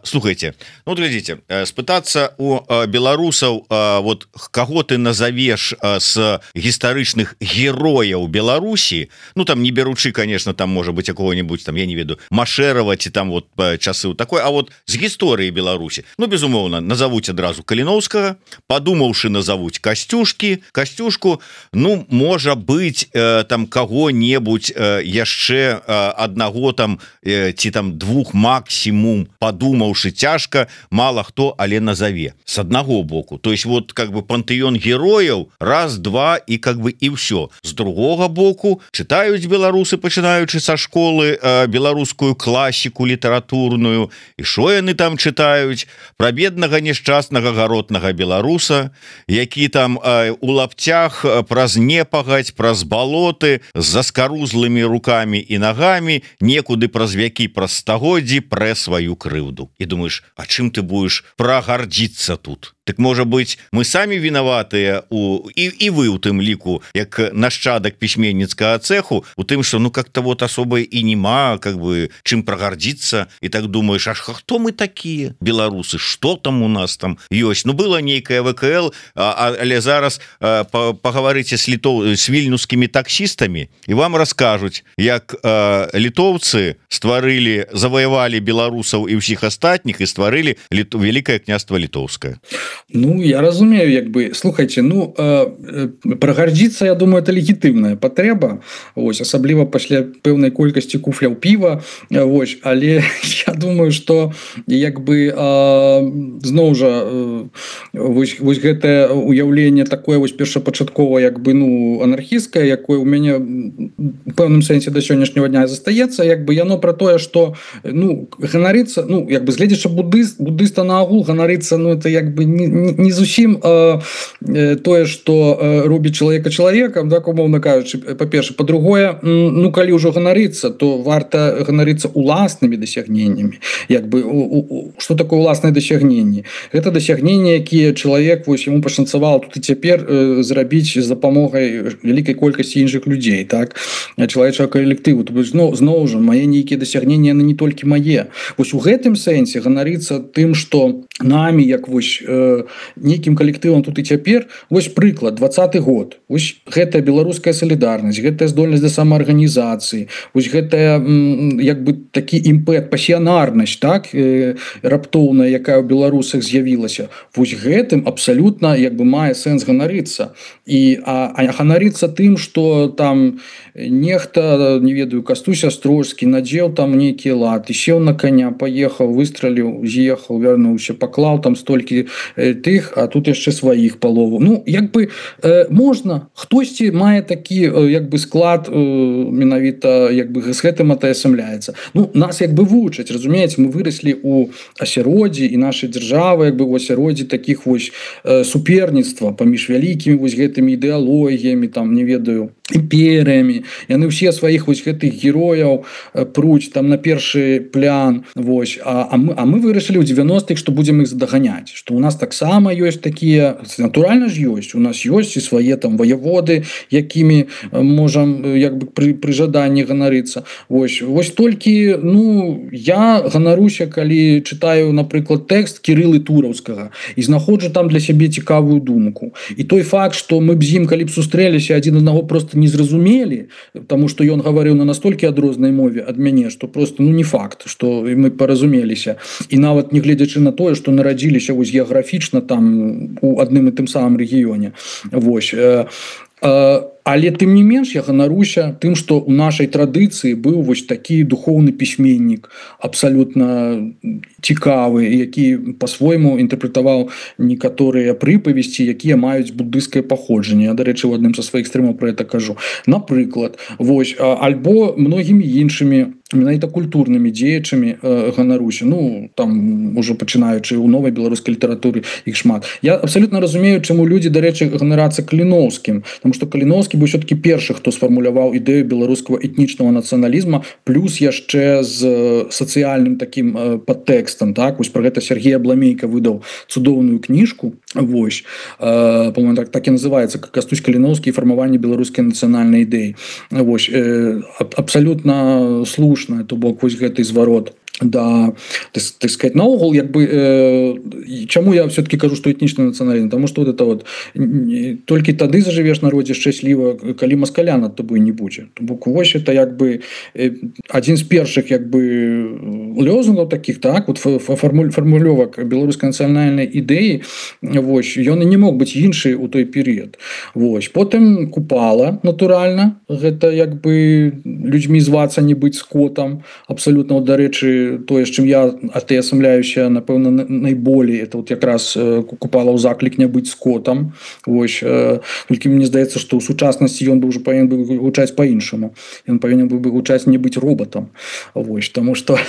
Слухайте, вот глядзіце, спытацца у беларусаў, вот каго ты назовеш з гістарычных герояў Беларусі, там не беручы, конечно, там можа быть какого-нибудь, там я не веду, Машэрава ці там вот часы у такой, а вот з гісторыі Беларусі, безумоўна, назовуць адразу Каліноўскага, падумаўшы, назовуць Касцюшку, можа быть, там кого-небудзь яшчэ аднаго там ці там двух максимум, падумаўшы, цяжка, мало хто, але назове с аднаго боку. То есть вот как бы пантэён герояў, раз, два і как бы і ўсё. З другога боку чытаюць беларусы, пачынаючы са школы, беларускую класіку літаратурную, і што яны там чытаюць? Пра беднага няшчаснага гаротнага беларуса, які там у лапцях праз непагадзь, праз балоты, з заскарузлымі рукамі і нагамі, некуды праз вякі, праз стагоддзі прэ сваю крыўду. І думаеш, а чым ты будешь прагардзіцца тут? Так, можа быть, мы самі вінаватыя і вы у тым ліку, як нашчадак пісьменніцкага цэху, у тым, што как-то вот асоба і нема, как бы, чым прагардзіцца, і так думаеш, аж хто мы такія, беларусы, што там у нас там ёсць? Была нейкая ВКЛ, але зараз пагаварыце з вільнюскімі таксістамі, і вам раскажуць, як літоўцы стварылі, заваявалі беларусаў і ўсіх астатніх і стварылі Вялікае княства Літоўскае. Я разумею, як бы, слухайте, прагардзіцца, я думаю, это легітымная патрэба, вось, асабліва пасля пэўнай колькасці куфляў піва, вось, але я думаю, што як бы зноў жа вось гэтае уяўленне такое вось першапачаткова як бы анархісцкае, якое у мяне у пэўным сэнсе да сённяшняга дня застаецца, як бы яно пра тое, што ганарыцца, як бы гледзячы буддыста наогул ганарыцца, это як бы не зусім тое, што робіць чалавека чалавекам, так, умоўна кажучы, па-першае, па-другое, калі ўжо ганарыцца, то варта ганарыцца уласнымі дасягненнямі. Як бы, што такое уласнае дасягненне? Гэта дасягненне, якія чалавек, вось, яму пашанцавала тут і цяпер зрабіць з дапамогай вялікай колькасці іншых людзей, так, чалавечага калектыву. То бок, зноў жа, мае нейкія дасягненні, яны не толькі мае. Вось у гэтым сэнсе ганарыцца тым, што намі, як вось нейкім калектывам тут і цяпер, вось прыклад, 20-й год, вось гэтая беларуская салідарнасць, гэтая здольнасць да самаарганізацыі, вось гэтая як бы такі імпэт, пасіянарнасць, так, раптоўная, якая ў беларусах з'явілася, вось гэтым абсалютна як бы мае сэнс ганарыцца. А ганарыцца тым, што там нехта, не ведаю, Кастусь Астрожскі надзеў там нейкія латы, сеў на коня, паехаў, выстраліў, з'ехаў, вярнуўся, паклаў там столькі тых, а тут яшчэ сваіх палову. Як бы можна, хтосьці мае такі як бы склад менавіта як бы з гэтым атаясамляецца. Нас як бы вучаць, разумееце, мы выраслі ў асяроддзі і нашай дзяржавы як бы ў асяроддзі такіх вось суперніцтва паміж вялікімі вось гэтымі ідэалогіямі, там, не ведаю, імперыямі. Яны ўсе сваіх вось гэтых герояў пруць там на першы план, вось. А мы вырашылі ў 90-х, што будзем іх задаганяць, што у нас так таксама ёсць такія, натуральна ж ёсць, у нас ёсць і свае там ваяводы, якімі можам як бы пры жаданні ганарыцца. Вось толькі, ну, я ганаруся, калі чытаю, напрыклад, тэкст Кірылы Тураўскага і знаходжу там для сябе цікавую думку. І той факт, што мы б з ім, калі б сустрэліся, адзін аднаго просто не зразумелі, таму што ён гаварыў на настолькі адрознай мове ад мяне, што просто, ну, не факт, што мы паразумеліся. І нават не гледзячы на тое, што нарадзіліся вось геаграфічна там у адным і тым самым рэгіёне. Вось. Але тым не менш я ганаруся тым, што ў нашай традыцыі быў вось такі духоўны пісьменнік, абсалютна цікавы, які па-свойму інтэрпрэтаваў некаторыя прыпавесці, якія маюць буддыйскае паходжанне. Я, дарэчы, у адным са сваіх стрымаў пра гэта кажу. Напрыклад, вось, альбо многімі іншымі менавіта культурнымі дзеячамі ганаруся. Ну, там ужо пачынаючы ў новай беларускай літаратуры іх шмат. Я абсалютна разумею, чаму людзі, дарэчы, ганарацца Каліноўскім, таму што Каліноўскі быў все-таки першы, хто сфармуляваў ідэю беларускага этнічнага нацыяналізма, плюс яшчэ з сацыяльным такім падтэкстам, так? Вось пра гэта Сергей Абламейка выдаў цудоўную кніжку, вось, по-моему, так і называецца «Кастусь Каліноўскі і фармаванне беларускай нацыянальнай ідэі». Вось, абсалютна слушна, то бок вось гэты зварот. Да, так сказать, наогул, як бы, чаму я все-таки кажу, што этнічны нацыяналізм, тому што вот это вот толькі тады зажывеш народзе шчасліва, калі маскаля над тобой не будзе. То бок вось это як бы адзін з першых як бы лёзунгаў таких, так, вот фармулёвак беларускай нацыянальнай ідэі, вось, ён і не мог быць іншы ў той перыяд. Вось, потым Купала, натуральна, гэта як бы людзьмі звацца, не быць скотам, абсалютна, дарэчы, тое, з чым я атаясамляюся, напэўна, найболей, это вот якраз Купала ў заклік не быць скотам. Вось, толькі мне здаецца, што ў сучаснасці ён бы ўжо павінен быў гучаць па-іншаму. Ён павінен быў бы гучаць не быць робатам. Вось, таму што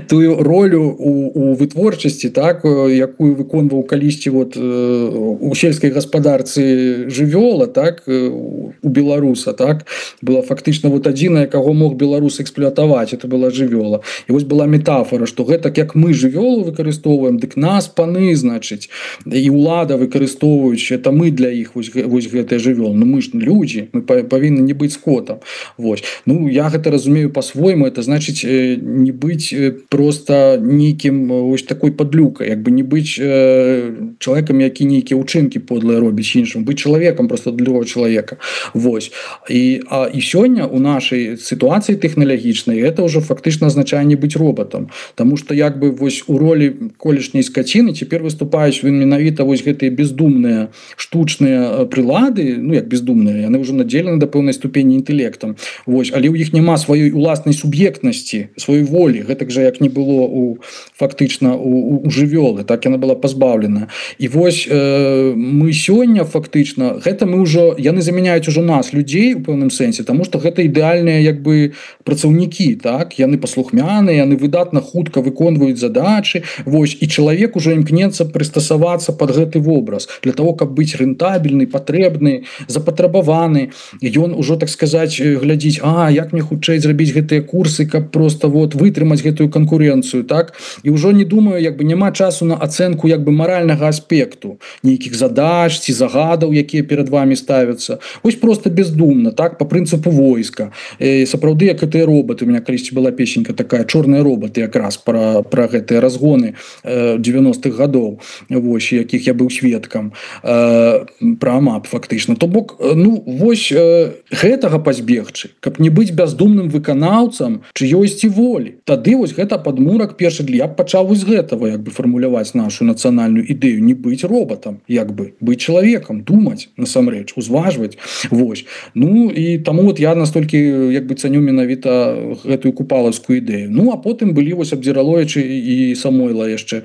тую ролю у вытворчасці, так, якую выконваў калісьці вот у сельскай гаспадарцы жывёла, так, у беларуса, так, была фактычна вот адзіная, каго мог беларус эксплуатаваць, это была жывёла. І вось была метафора, што гэтак як мы жывёлу выкарыстоўваем, дык нас паны, значыць, і ўлада выкарыстоўваюць, это мы для іх вось гэтыя жывёлы. Ну мы ж людзі, мы павінны не быць скотам. Вось. Ну я гэта разумею па-свойму, это значыць не быць просто нейкім вось такой падлюкай, як бы не быць чалавекам, які нейкія ўчынкі подлыя робіць іншым, быць чалавекам просто для другого чалавека. Вось. І сёння у нашай сітуацыі тэхналагічнай гэта ўжо фактычна азначае не быць робатам, таму што як бы вось у ролі колішняй скаціны цяпер выступаюць менавіта вось гэтыя бездумныя штучныя прылады, ну як бездумныя, яны ўжо надзелены да пэўнай ступені інтэлектам. Вось, але ў іх няма сваёй уласнай суб'ектнасці, сваёй волі, гэтак жа як не было фактычна у жывёлы, так яна была пазбаўлена. І вось мы сёння фактычна гэта мы ўжо, яны замяняюць ужо нас, людзей у пэўным сэнсе, таму што гэта ідэальныя як бы працаўнікі, так, яны паслухмяныя, яны выдатна хутка выконваюць задачы. Вось, і чалавек ужо імкнецца прыстасавацца пад гэты вобраз для того, каб быць рэнтабельны, патрэбны, запатрабаваны. Ён ужо, так сказаць, глядзіць, як мне хутчэй зрабіць гэтыя курсы, каб просто вот вытрымаць гэтую канкурэнцыю, так? І ўжо не думаю, як бы няма часу на ацэнку як бы маральнага аспекту, нейкіх задач ці загадаў, якія перад вами ставяцца. Вось просто бездумна, так, по прынцыпу войска. Сапраўды, як гэтыя робаты, у меня калісьці была песенька такая «Чорныя робаты», якраз пра гэтыя разгоны 90-х гадоў, вось, якіх я быў сведкам, пра АМАП фактычна. То бок, ну, вось гэтага пазбегчы, каб не быць бяздумным выканаўцам чыёйсьці волі. Тады вось гэта падмурак першы для, я б пачаў з гэтага як бы фармуляваць нашу нацыянальную ідэю, не быць робатам, як бы быць чалавекам, думаць насамрэч, узважваць. Вось. Ну і таму вот я настолькі як бы цаню менавіта гэтую купалаўскую ідэю. Ну а потым былі вось Абдзіраловічы і Самойла яшчэ,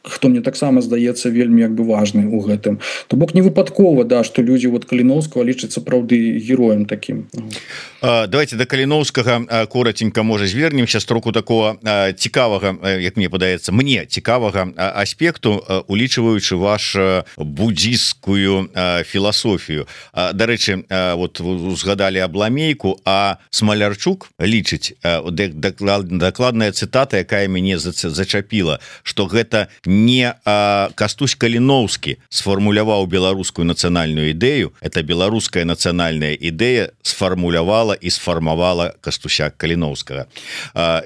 хто мне таксама здаецца вельмі як бы важны ў гэтым. То бок не выпадкова, да, што людзі вот Каліноўскага лічаць сапраўды героем такім. Давайте до Каліноўскага коротенько можа звернемся з троку такого цікавага, як мне падаецца, мне цікавага аспекту, улічваючы ваш буддзістскую філасофію. Дарэчы, вот узгадалі Абламейку, а Смалярчук лічыць, дакладна дакладная цытата, якая мяне зачапіла, што гэта не Кастусь Каліноўскі сфармуляваў беларускую нацыянальную ідэю, это беларуская нацыянальная ідэя сфармулявала і сфармавала Кастуся Каліноўскага.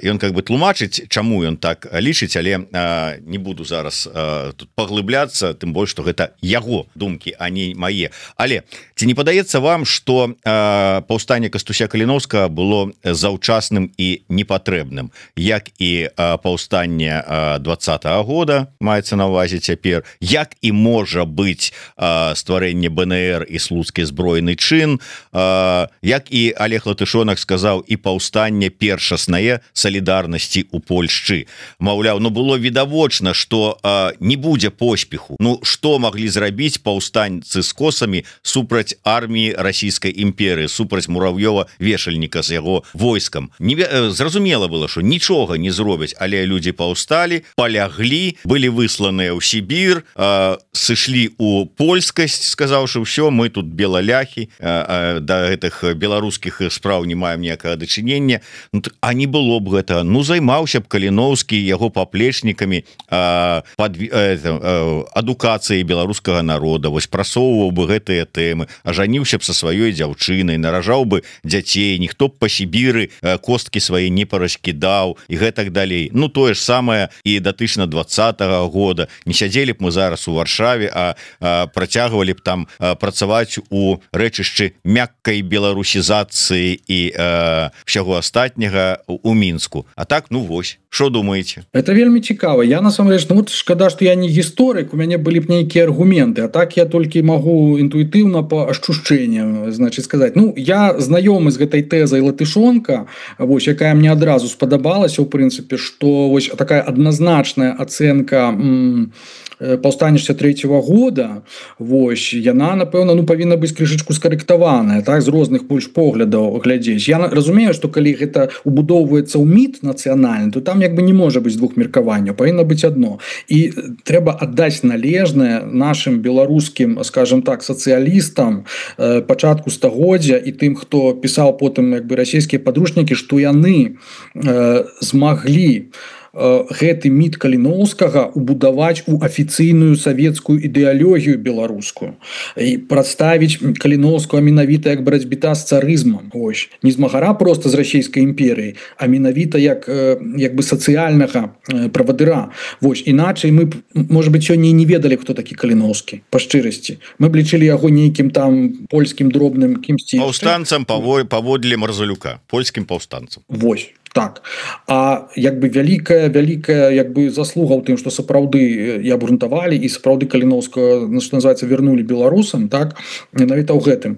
Ён как бы тлумачыць, чаму ён так лічыць, але не буду зараз тут паглыбляцца, тым больш, што гэта яго думкі, а не мае. Але ці не падаецца вам, што паўстанне Кастуся Каліноўскага было заўчасным і непатрэбным, як і паўстанне 20-го года, маецца на ўвазе цяпер, як і можа быць стварэнне БНР і слуцкі збройны чын, як і Олег Латышонак сказаў, і паўстанне першаснае салідарнасці ў Польшчы. Маўляў, ну было відавочна, што не будзе поспеху. Ну што маглі зрабіць паўстанцы з косамі супраць арміі расійскай імперыі, супраць Мурав'ёва-вешальніка з яго войскам? Зразумела было, што нічога не зробяць, але людзі паўсталі, паляглі, былі высланыя ў Сібір, сышлі ў польскасць, сказаўшы, ўсё, мы тут белаляхі, да гэтых беларускіх спраў не маем ніякага дачынення. А не было б гэта. Ну, займаўся б Каліноўскі яго паплечнікамі адукацыяй беларускага народа, вось прасоўваў бы гэтыя тэмы, ажаніўся б са сваёй дзяўчынай, наражаў бы дзяцей, ніхто б па Сібіры косткі свае не параскідаў і гэтак далей. Ну, тое ж самае і датычна 20-го года. Не сядзелі б мы зараз у Варшаве, а працягвалі б там працаваць у рэчышчы мяккай беларусізацыі і ўсяго астатняга у Мінску. А так, ну вось, што думаеце? Это вельмі цікава. Я насамрэч, ну вот шкада, што я не гісторык, у мяне былі б нейкія аргументы, а так я толькі магу інтуітыўна па ашчушчэнням, значыць, сказаць. Ну, я знаёмы з гэтай тэзай Латышонка, вось, якая мне адразу спадабалася, у прынцыпе, што вось такая адназначная ацэнка паўстання 63-го года, вось, яна, напэўна, ну, павінна быць крышачку скарэктаваная, так, з розных больш поглядаў глядзець. Я разумею, што калі гэта убудоўваецца ў міт нацыянальны, то там як бы не можа быць двух меркаванняў, павінна быць адно. І трэба аддаць належнае нашым беларускім, скажем так, сацыялістам пачатку стагоддзя і тым, хто пісаў потым як бы расійскія падручнікі, што яны змаглі гэты міт Каліноўскага убудаваць у афіцыйную савецкую ідэалогію беларускую і прадставіць Каліноўскага менавіта як барацьбіта з царызмам. Ось. Не змагара проста з расійскай імперыяй, а менавіта як бы сацыяльнага правадыра. Вось. Іначай мы, можа быць, сёння не ведалі, хто такі Каліноўскі, па шчырасці. Мы б лічылі яго нейкім там польскім дробным кімсьці. Паўстанцам паводле Марзалюка, польскім паўстанцам. Вось. Так, а як бы вялікая як бы заслуга ў тым, што сапраўды і абгрунтавалі і сапраўды Каліноўскага, што называецца, вярнулі беларусам, так, менавіта ў гэтым.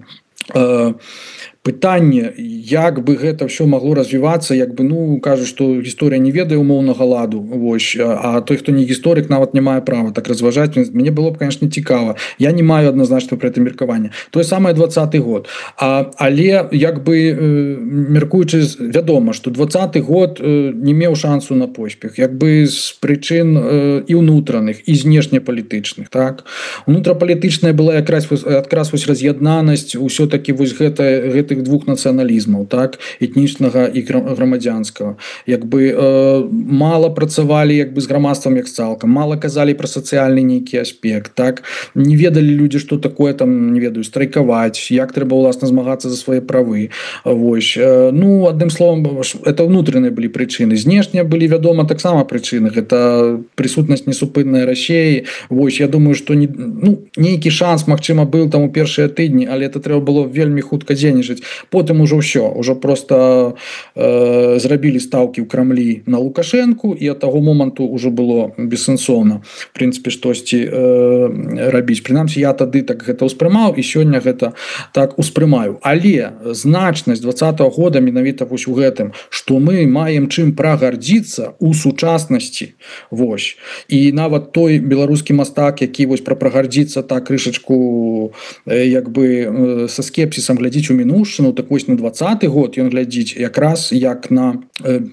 Пытанне, як бы гэта ўсё магло развівацца, як бы, ну, кажуць, што гісторыя не ведае умоўнага ладу, вось, а той, хто не гісторык, нават не мае права так разважаць. Мне было б, конечно, цікава. Я не маю адназначна пра гэта меркаванне. Тое самае 20-й год. Але, як бы, меркуючы, вядома, што 20-й год не меў шансу на поспех, як бы з прычын і ўнутраных, і знешнепалітычных, так. Унутрапалітычная была якраз вось раз'яднанасць усё-такі вось гэтых двух нацыяналізмаў, так, этнічнага і грамадзянскага. Як бы мала працавалі як бы з грамадствам як цалкам, мала казалі пра сацыяльны нейкі аспект, так, не ведалі людзі, што такое там, не ведаю, страйкаваць, як трэба ўласна змагацца за свае правы. Вось. Ну, адным словам, это ўнутраныя былі прычыны. Знешнія былі, вядома, таксама прычыны. Гэта прысутнасць несупыннай Расіі. Вось, я думаю, што нейкі шанс, магчыма, быў там у першыя тыдні, але это трэба было вельмі хутка дзейнічаць. Потым ужо ўсё, ужо просто зрабілі стаўкі ў Крамлі на Лукашэнку, і ад таго моманту ўжо было бессэнсоўна, в прынцыпе, штосьці рабіць. Прынамсі, я тады так гэта ўспрымаў, і сёння гэта так успрымаю. Але значнасць 20-го года менавіта вось у гэтым, што мы маем чым прагардзіцца ў сучаснасці. Вось. І нават той беларускі мастак, які вось прагардзіцца так крышачку як бы са скепсісам глядзіць у мінуўшчыну, спадчыну, так вось на 20-й год ён глядзіць якраз як на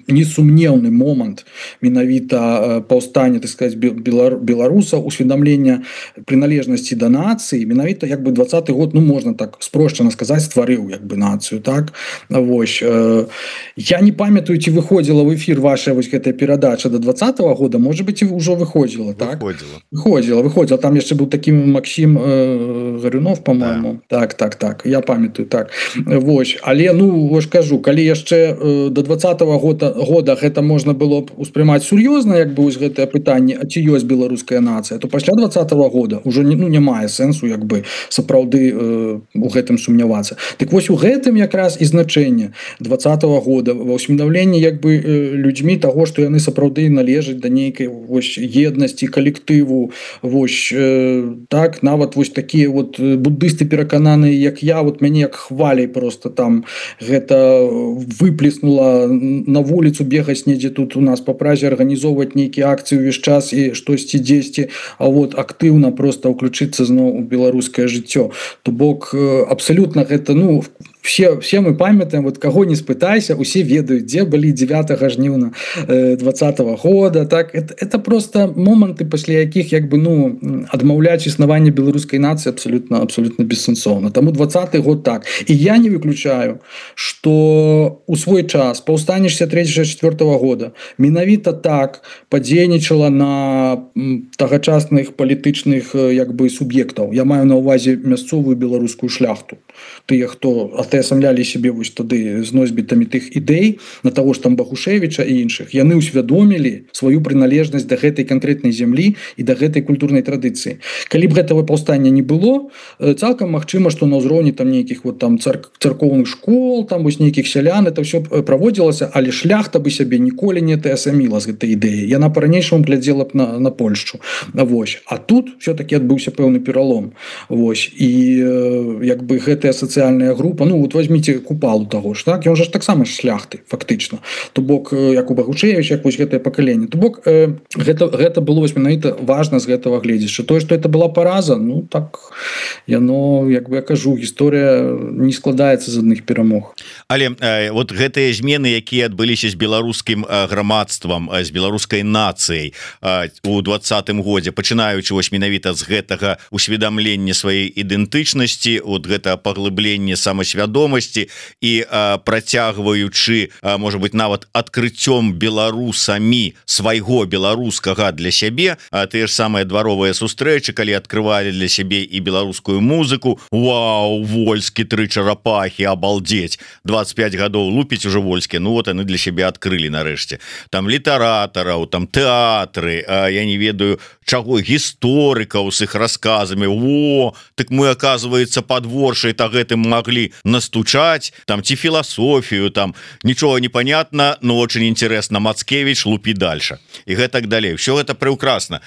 несумнеўны момант менавіта паўстання, так сказать, беларусаў, усведамлення прыналежнасці да нацыі. Менавіта як бы 20-й год, ну можна так спрошчана сказаць, стварыў як бы нацыю, так. Вось я не памятаю, ці выходзіла в эфир ваша вось гэтая перадача до 20-го года, может быть, і ўжо выходзіла, так? Выходзіла. Там яшчэ быў такі Максим Гарюнов, по-моему. Да. Так, я памятаю, так. Вось, але, ну, вось кажу, калі яшчэ до 20-го года гэта можна было б успрымаць сур'ёзна, як бы вось гэтае пытанне, а ці ёсць беларуская нацыя, то пасля 20-го года ўжо не мае сэнсу, як бы, сапраўды у гэтым сумнявацца. Так вось у гэтым якраз і значэнне 20-го года, ва ўсведамленні, як бы, людзьмі таго, што яны сапраўды належаць да нейкай вось еднасці калектыву, вось так, нават вось такія вот буддысты перакананыя, як я, вот мяне як хваляй просто там гэта выплеснула на вуліцу бегаць недзе тут у нас па Празе, арганізоўваць нейкія акцыі ўвесь час і штосьці дзесьці, а вот актыўна просто ўключыцца зноў у беларускае жыццё. То бок абсалютна гэта, ну, все мы памятаем, вот кого не спытайся, усе ведаюць, дзе былі 9 жніўня 20-го года, так, это просто моманты, пасля якіх, як бы, ну, адмаўляць існаванне беларускай нацыі абсолютно бессэнсоўна. Таму 20-й год так. І я не выключаю, што у свой час паўстанне 63-64 года менавіта так падзейнічала на тагачасных палітычных, як бы, суб'ектаў. Я маю на ўвазе мясцовую беларускую шляхту. Тыя, хто атаясамлялі сябе вось тады з носьбітамі тых ідэй, на таго ж там Бахушевіча і іншых, яны ўсвядомілі сваю прыналежнасць да гэтай канкрэтнай зямлі і да гэтай культурнай традыцыі. Калі б гэтага паўстання не было, цалкам магчыма, што на ўзроўні там нейкіх вот там царкоўных школ, там вось нейкіх сялян, это ўсё праводзілася, але шляхта бы сябе ніколі не атаясаміла з гэтай ідэі. Яна па-ранейшаму глядзела б на Польшчу. Вось. А тут все-таки адбыўся пэўны пералом. Вось. І як бы гэтая сацыяльная група, ну вот возьмите Купалу таго ж, так, ён же таксама шляхты фактычна. То бок як у Бахушевич, як вось гэтае пакаленне. То бок гэта было вось менавіта важна з гэтага гледзяча. Тое, што это была параза, ну так яно, як бы я кажу, гісторыя не складаецца з адных перамог. Але вот гэтыя змены, якія адбыліся з беларускім грамадствам, з беларускай нацыяй у 20-м годзе, пачынаючы вось менавіта з гэтага усведамлення сваёй ідэнтычнасці, от гэта паглыбленне самасвядомасці і працягваючы, можа быть, нават адкрыццём беларусамі свайго беларускага для сябе, тыя ж самыя дваровыя сустрэчы, калі адкрывалі для сябе і беларускую музыку. Вау, Вольскі, 3 чарапахі, абалдеть, 25 гадоў лупіць уже Вольскі, ну вот яны для сябе адкрылі нарэшце. Там літаратараў, там тэатры, я не ведаю чаго, гісторыкаў с іх расказамі. О, так мы, оказывается, подворшай так гэтым могли настучать, там ці філасофію, там нічога не понятно, но очень интересно, Мацкевич, лупі дальше і гэтак далей. Все гэта прекрасно.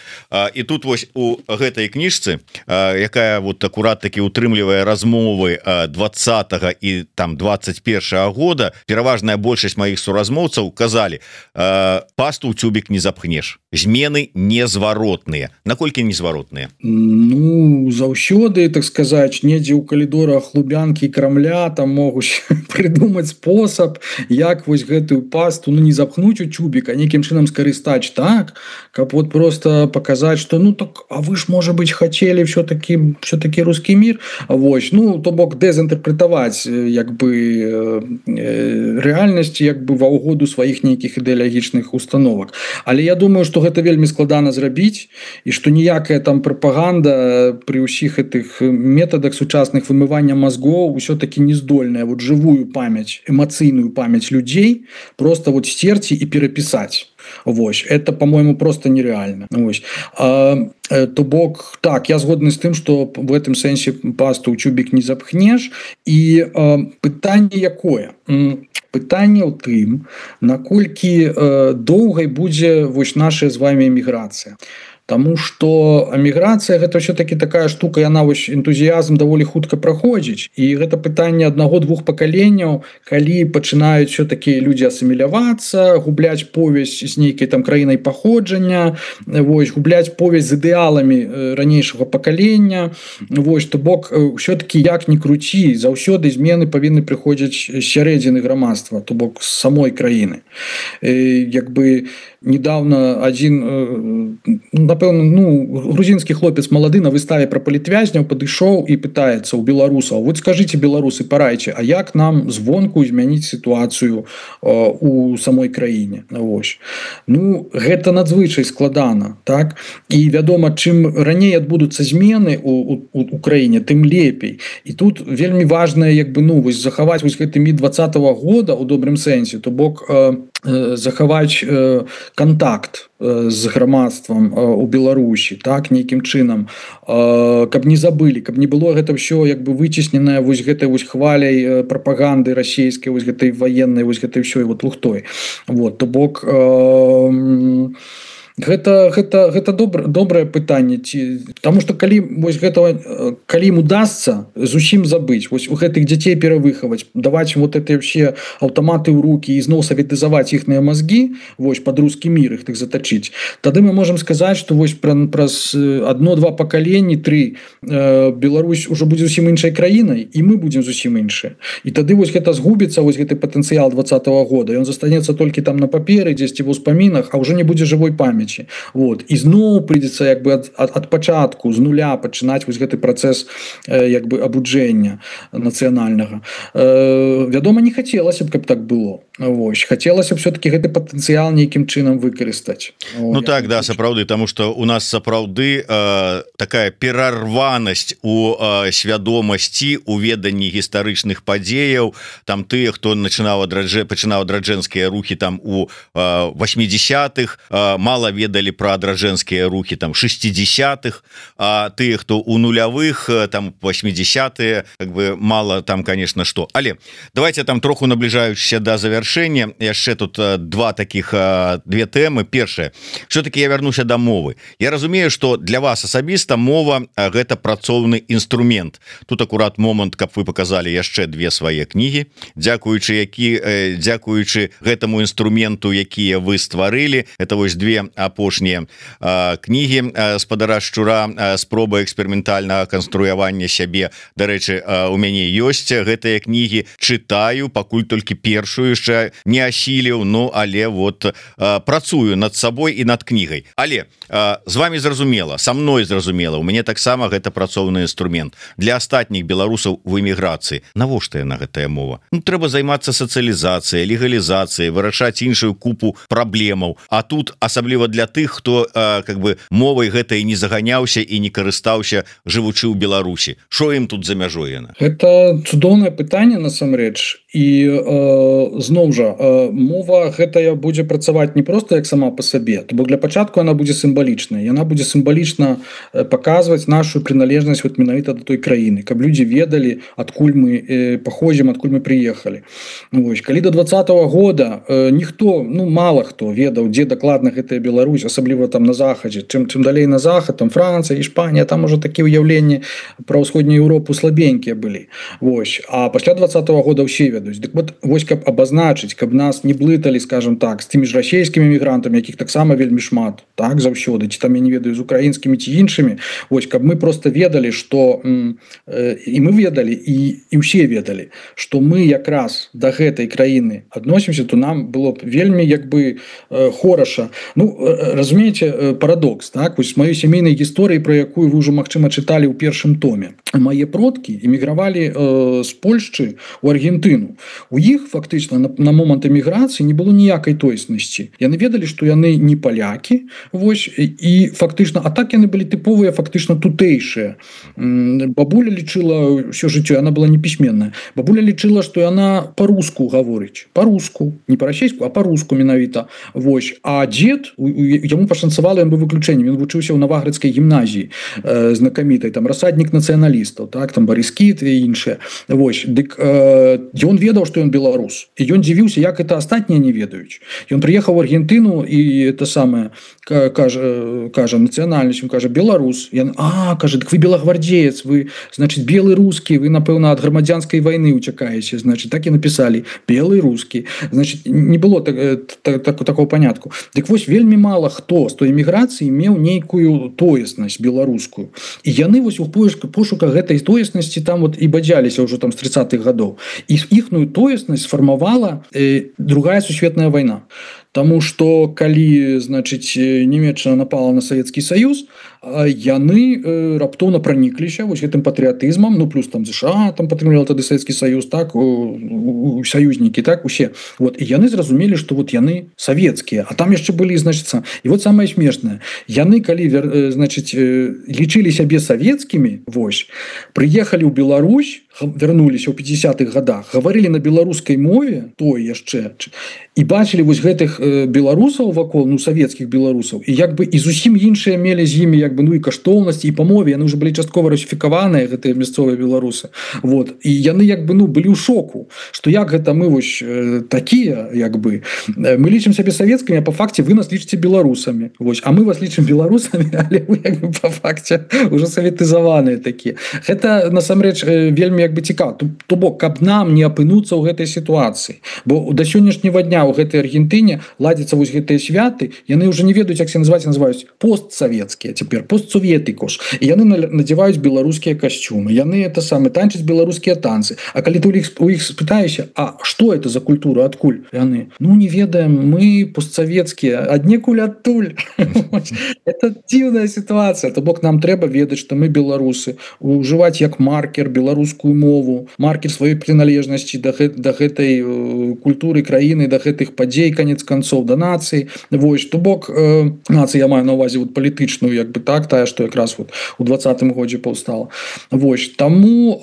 І тут вось у гэтай кніжцы, якая вот акурат таки утрымлівае размовы 20-го і там 21-го года, пераважная большасць маіх суразмоўцаў казалі, пасту ў цюбік не запхнеш, змены незваротныя. Наколькі незваротныя? Ну, заўсёды, так сказать, недзе ў калідорах Лубянкі і Крамля там могуць придумаць спосаб, як вось гэтую пасту, ну, не запхнуць у цюбік, а нейкім чынам скарыстаць так, каб вот просто показаць, что ну так, а вы ж, можа быть, хацелі все-таки русский мир, вось, ну, то бок дэзінтэрпрэтаваць як бы рэальнасць як бы ва ўгоду сваіх нейкіх ідэалагічных установак. Але я думаю, что гэта вельмі складана зрабіць і што ніякая там прапаганда при ўсіх гэтых метадах сучасных вымывання мозгоў ўсё-таки не здольная вот живую памяць, эмацыйную памяць людзей просто вот стерці і перапісаць. Вось, это, по-моему, просто нереально. Вось. То бок, так, я згодны з тым, што в этом сэнсе пасту ў цюбік не запхнеш. І пытанне якое? Пытанне ў тым, наколькі доўгай будзе вось наша з вами эміграцыя. Таму что эміграцыя гэта все-таки такая штука, яна вось энтузіязм даволі хутка праходзіць, і гэта пытанне аднаго-двух пакаленняў, калі пачынаюць все-таки людзі асімілявацца, губляць повязь з нейкай там краінай паходжання, вось губляць повязь з ідэаламі ранейшага пакалення. Вось то бок все-таки як ни круці, заўсёды змены павінны прыходзіць з сярэдзіны грамадства, то бок з самой краіны. Як бы недавно один, напэўна, грузинский хлопец малады на выставе про палітвязняў падышоў і пытаецца у беларусаў: вот скажите, беларусы, парайце, а як нам звонку змяніць сітуацыю у самой краіне? Вось. Гэта надзвычай складана, так? І вядома, чым раней адбудуцца змены у краіне, тым лепей. І тут вельмі важна вось захаваць вось гэты міт 20-го года у добрым сэнсе, то бок захаваць контакт з грамадствам у Беларусі, так, нейкім чынам, каб не забылі, каб не было гэта ўсё выцесненае вось гэтай вось хваляй прапаганды расійскай, вось гэтай ваеннай, вось гэтай ўсёй вот лухтой. Вот, то бок гэта добрае пытанне, потому что калі вось гэтага, калі ім удасца зусім забыць, вось у гэтых дзяцей перавыхаваць, даваць вот это все аўтаматы ў руки і зноў саветызаваць іхныя мозги, вось под русский мир іх так затачыць, тады мы можем сказаць, что вось праз 1-2 пакаленні, 3 Беларусь уже будзе зусім іншай краінай, і мы будем зусім іншыя, і тады вось гэта згубіцца, вось гэты патэнцыял 20-го года, ён застанецца толькі там на паперы, дзесьці ва ўспамінах, а уже не будзе жывой памяти. Вот. І зноў прыйдзецца ад пачатку, з нуля пачынаць вось гэты працэс абуджэння нацыянальнага. Вядома, не хацелася б, каб так было. Вось. Хацелася б все-таки гэты патэнцыял нейкім чынам выкарыстаць. Так, да, сапраўды, таму што у нас сапраўды такая перарванасць у свядомасці, у веданні гістарычных падзеяў, там тыя, хто пачынаў адраджэнскія рухі там у 80-х, мала ведалі про адраджэнскія рухі там 60-х, а тыя, хто у нулявых там 80-е, мало там, конечно, что. Але давайте там троху набліжаючыся до завяршэння, яшчэ тут две тэмы. Першае, все-таки я вярнуся до мовы. Я разумею, что для вас асабіста мова гэта працоўны інструмент. Тут акурат момант, каб вы показалі яшчэ 2 свае кнігі, дзякуючы гэтаму інструменту, якія вы стварылі. Это вось 2 апошнія кнігі спадара шчура, спроба эксперыментальнага канструявання сябе. Дарэчы, у мяне ёсць гэтыя кнігі, чытаю, пакуль толькі першую яшчэ не асіліў, але вот працую над сабой і над кнігай. Але з вами зразумела, са мной зразумела, у мяне таксама гэта працоўны інструмент. Для астатніх беларусаў в эміграцыі навошта яна гэтая мова? Трэба займацца сацыялізацыяй, легалізацыяй, вырашаць іншую купу праблемаў. А тут асабліва для тых, хто мовай гэтай не заганяўся і не карыстаўся, жывучы ў Беларусі. Што ім тут за мяжой яна? Гэта цудоўнае пытанне насамрэч. І зноў жа, мова гэтая будзе працаваць не проста як сама па сабе, то бок для пачатку она будзе сімвалічнай, яна будзе сімвалічна паказваць нашу прыналежнасць вот менавіта да той краіны, каб людзі ведалі, адкуль мы паходзім, адкуль мы прыехалі. Вось, калі до 20-го года ніхто, мала хто ведаў, дзе дакладна гэтая Беларусь, асабліва там на захадзе, чым далей на захад, там Францыя, Іспанія, там уже такія ўяўленні пра ўсходнюю Еўропу слабенькія былі. Вось, а пасля 20-го года ўсе ведаюць. Дык вот, вось каб абазначыць, каб нас не блыталі, скажем так, з тымі ж расійскімі мігрантамі, якіх таксама вельмі шмат, так, заўсёды, ці там я не ведаю, з украінскімі ці іншымі, вось, каб мы просто ведалі, што і мы ведалі, і ўсе ведалі, што мы якраз да гэтай краіны адносімся, то нам было б вельмі хораша. Разумееце, парадокс, так, вось маёй сямейнай гісторыі, пра якую вы ўжо, магчыма, чыталі ў першым томе. Мае продкі эмігравалі з Польшчы ў Аргентыну. У іх фактычна на момант эміграцыі не было ніякай тойснасці. Яны ведалі, што яны не палякі, вось, і фактычна, а так яны былі тыповыя, фактычна тутэйшыя. Бабуля лічыла ўсё жыццё, яна была непісьменная. Бабуля лічыла, што яна па-руску гаворыць. Па-руску, не па-расейску, а па-руску менавіта. Вось. А дзед, яму пашанцавала, ён быў выключэннем. Ён вучыўся ў Наваградскай гімназіі знакамітай, там расаднік нацыяналізму. нацыяналістаў, так, там Барыс Кіт і іншыя. Вось, дык ён ведаў, што ён беларус. І ён дзівіўся, як это астатнія не ведаюць. Ён прыехаў в Аргентыну і это самае, кажа нацыянальнасць, кажа беларус. Кажа, дык вы белагвардзеец, вы, значит, белы рускі, вы, напэўна, ад грамадзянскай вайны уцякаеце, значит, так і напісалі, белы рускі. Значит, не было такого панятку. Дык вось, вельмі мала хто з той эміграцыі меў нейкую тоеснасць беларускую. І яны вось у пошуках гэтай тоеснасці там вот і бадзяліся ўжо там з 30-х гадоў. І іхную тоеснасць сфармавала другая сусветная вайна. Таму што калі, значыць, Нямецчына напала на Савецкі Саюз, яны раптоўна пранікліся вось гэтым патрыятызмам, ну плюс там ЗША там падтрымлівала тады Савецкі Саюз, так, саюзнікі, так, усе. Вот, і яны зразумелі, што вот яны савецкія, а там яшчэ былі, значыцца, і вот самае смешнае, яны калі, значыць, лічылі сябе савецкімі, вось, прыехалі ў Беларусь, вярнуліся ў 50-х годах, гаварылі на беларускай мове, той яшчэ, і бачылі вось гэтых беларусаў вакол, ну, савецкіх беларусаў, і як бы і зусім іншыя мелі з імі, як бы, ну, і каштоўнасці, і па мове, яны ўжо былі часткова расіфікаваныя, гэтыя мясцовыя беларусы. Вот, і яны, як бы, ну, былі ў шоку, што як гэта мы вось такія, як бы, мы лічым сябе савецкімі, а па факце вы нас лічыце беларусамі. Вось, а мы вас лічым беларусамі, але вы, як бы, па факце ўжо саветызаваныя такія. Гэта, насамрэч, вельмі, як бы, цікава. То бок, каб нам не апынуцца ў гэтай сітуацыі. Бо да сённяшняга дня ў гэтай Аргентыне ладзяцца вось гэтыя святы, яны ўжо не ведаюць, як се называюць постсавецкія, цяпер постсоветыкош. І яны надзяваюць беларускія касцюмы. Яны это самы танчаць беларускія танцы. А калі ты у іх спытаешся, а што это за культура, адкуль? Яны, ну, не ведаем, мы постсавецкія, аднекуль адтуль. Это дзіўная сітуацыя. То бок, нам трэба ведаць, што мы беларусы, ужываць як маркер беларускую мову, маркер сваёй прыналежнасці да гэтай культуры краіны, да гэтых падзей, канец канцоў, да нацыі. Вось, то бок, нацыя, я маю на ўвазе вот палітычную, як бы так, тая, што якраз вот у 20-м годзе паўстала. Вось, таму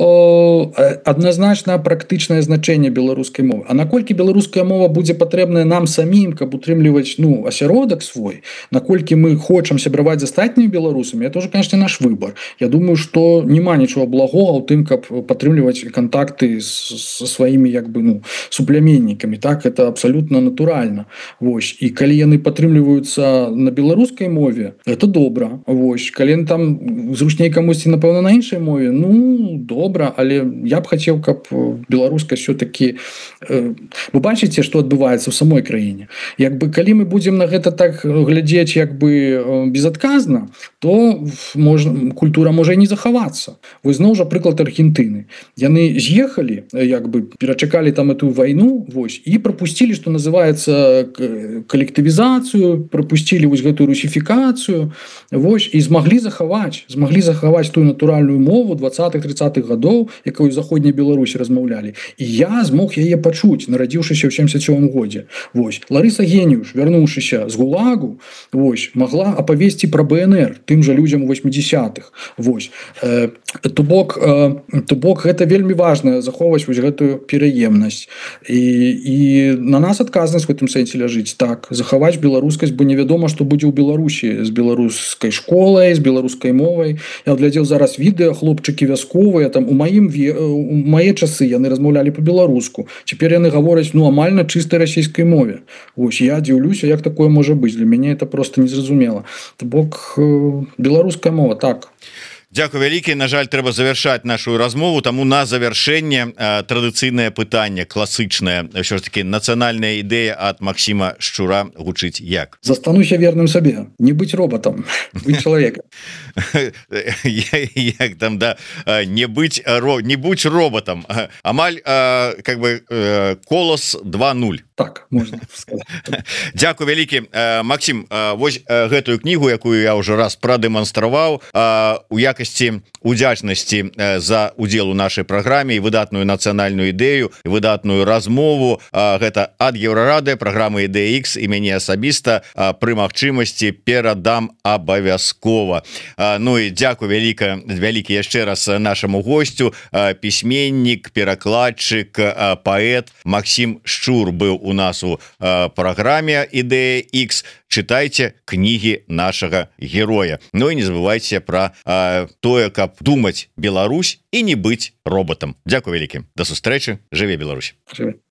адназначна практычнае значэнне беларускай мовы. А наколькі беларуская мова будзе патрэбная нам самім, каб утрымліваць, ну, асяродак свой, наколькі мы хочам сябраваць з астатнімі беларусамі, это ўжо, конечно, наш выбор. Я думаю, што няма нічога благога ў тым, каб падтрымліваць кантакты со сваімі, як бы, ну, суплеменнікамі, так, это абсолютно натуральна. Вось, і калі яны падтрымліваюцца на беларускай мове, это добра. Вось, калі там зручней камусьці, напэўна, на іншай мове, ну, добра, але я б хацеў, каб беларуска все-таки... Вы бачыце, што адбываецца ў самой краіне. Як бы, калі мы будзем на гэта так глядзець, як бы, безадказна, то культура можа і не захавацца. Вось зноў жа прыклад Аргентыны. Яны з'ехалі, як бы, перачакалі там эту вайну, вось, і пропустили, что называется, коллективизацию, пропустили вось гэтую русификацию, вось, и смогли захаваць ту натуральную мову 20-30-х годов, якую в Заходняй Беларусі размаўлялі. И я смог яе пачуць, нарадзіўшыся ў 77 годзе. Вось, Ларыса Геніуш, вярнуўшыся з ГУЛАГу, вось, могла апавесці про БНР тым жа людзям у 80-х. Вось, то бок гэта вельмі важна захоўваць вось гэтую пераемнасць. І на нас адказнасць в гэтым сэнсе ляжыць, так, захаваць беларускасць, бо невядома, што будзе ў Беларусі з беларускай школай, з беларускай мовай. Я глядзеў зараз відэа, хлопчыкі вясковыя, там у мае часы яны размаўлялі по-беларуску. Цяпер яны гавораць, ну, амаль на чыстай расійскай мове. Вось, я дзіўлюся, як такое можа быць. Для мяне это просто незразумела. То бок, беларуская мова, так. Дзякуй вялікі. На жаль, трэба завяршаць нашу размову, таму на завяршэнне традыцыйнае пытанне, класычнае, ўсё ж таки нацыянальная ідэя ад Максіма Шчура гучыць як? Застануся верным сабе, не быць роботам, быць чалавекам. Як там, да, не будь роботам. Амаль, как бы, Колос 2.0. Так, можна сказаць. Дзякуй вялікі. Максім, вось гэтую кнігу, якую я ўжо раз прадэманстраваў, у якасці удзячнасці за удзел у нашай праграме і выдатную нацыянальную ідэю, выдатную размову, гэта ад Еўрарады, праграмы Ідэя Х, і мяне асабіста пры магчымасці перадам абавязкова. Ну і дзякуй вялікі яшчэ раз нашаму гостю, пісьменнік, перакладчык, паэт Максім Шчур быў у у нас у праграме ідэя X, чытайце кнігі нашага героя. Ну і не забывайце про тое, каб думаць Беларусь і не быць роботам. Дзякуй вялікі, да сустрэчы, жыве Беларусь.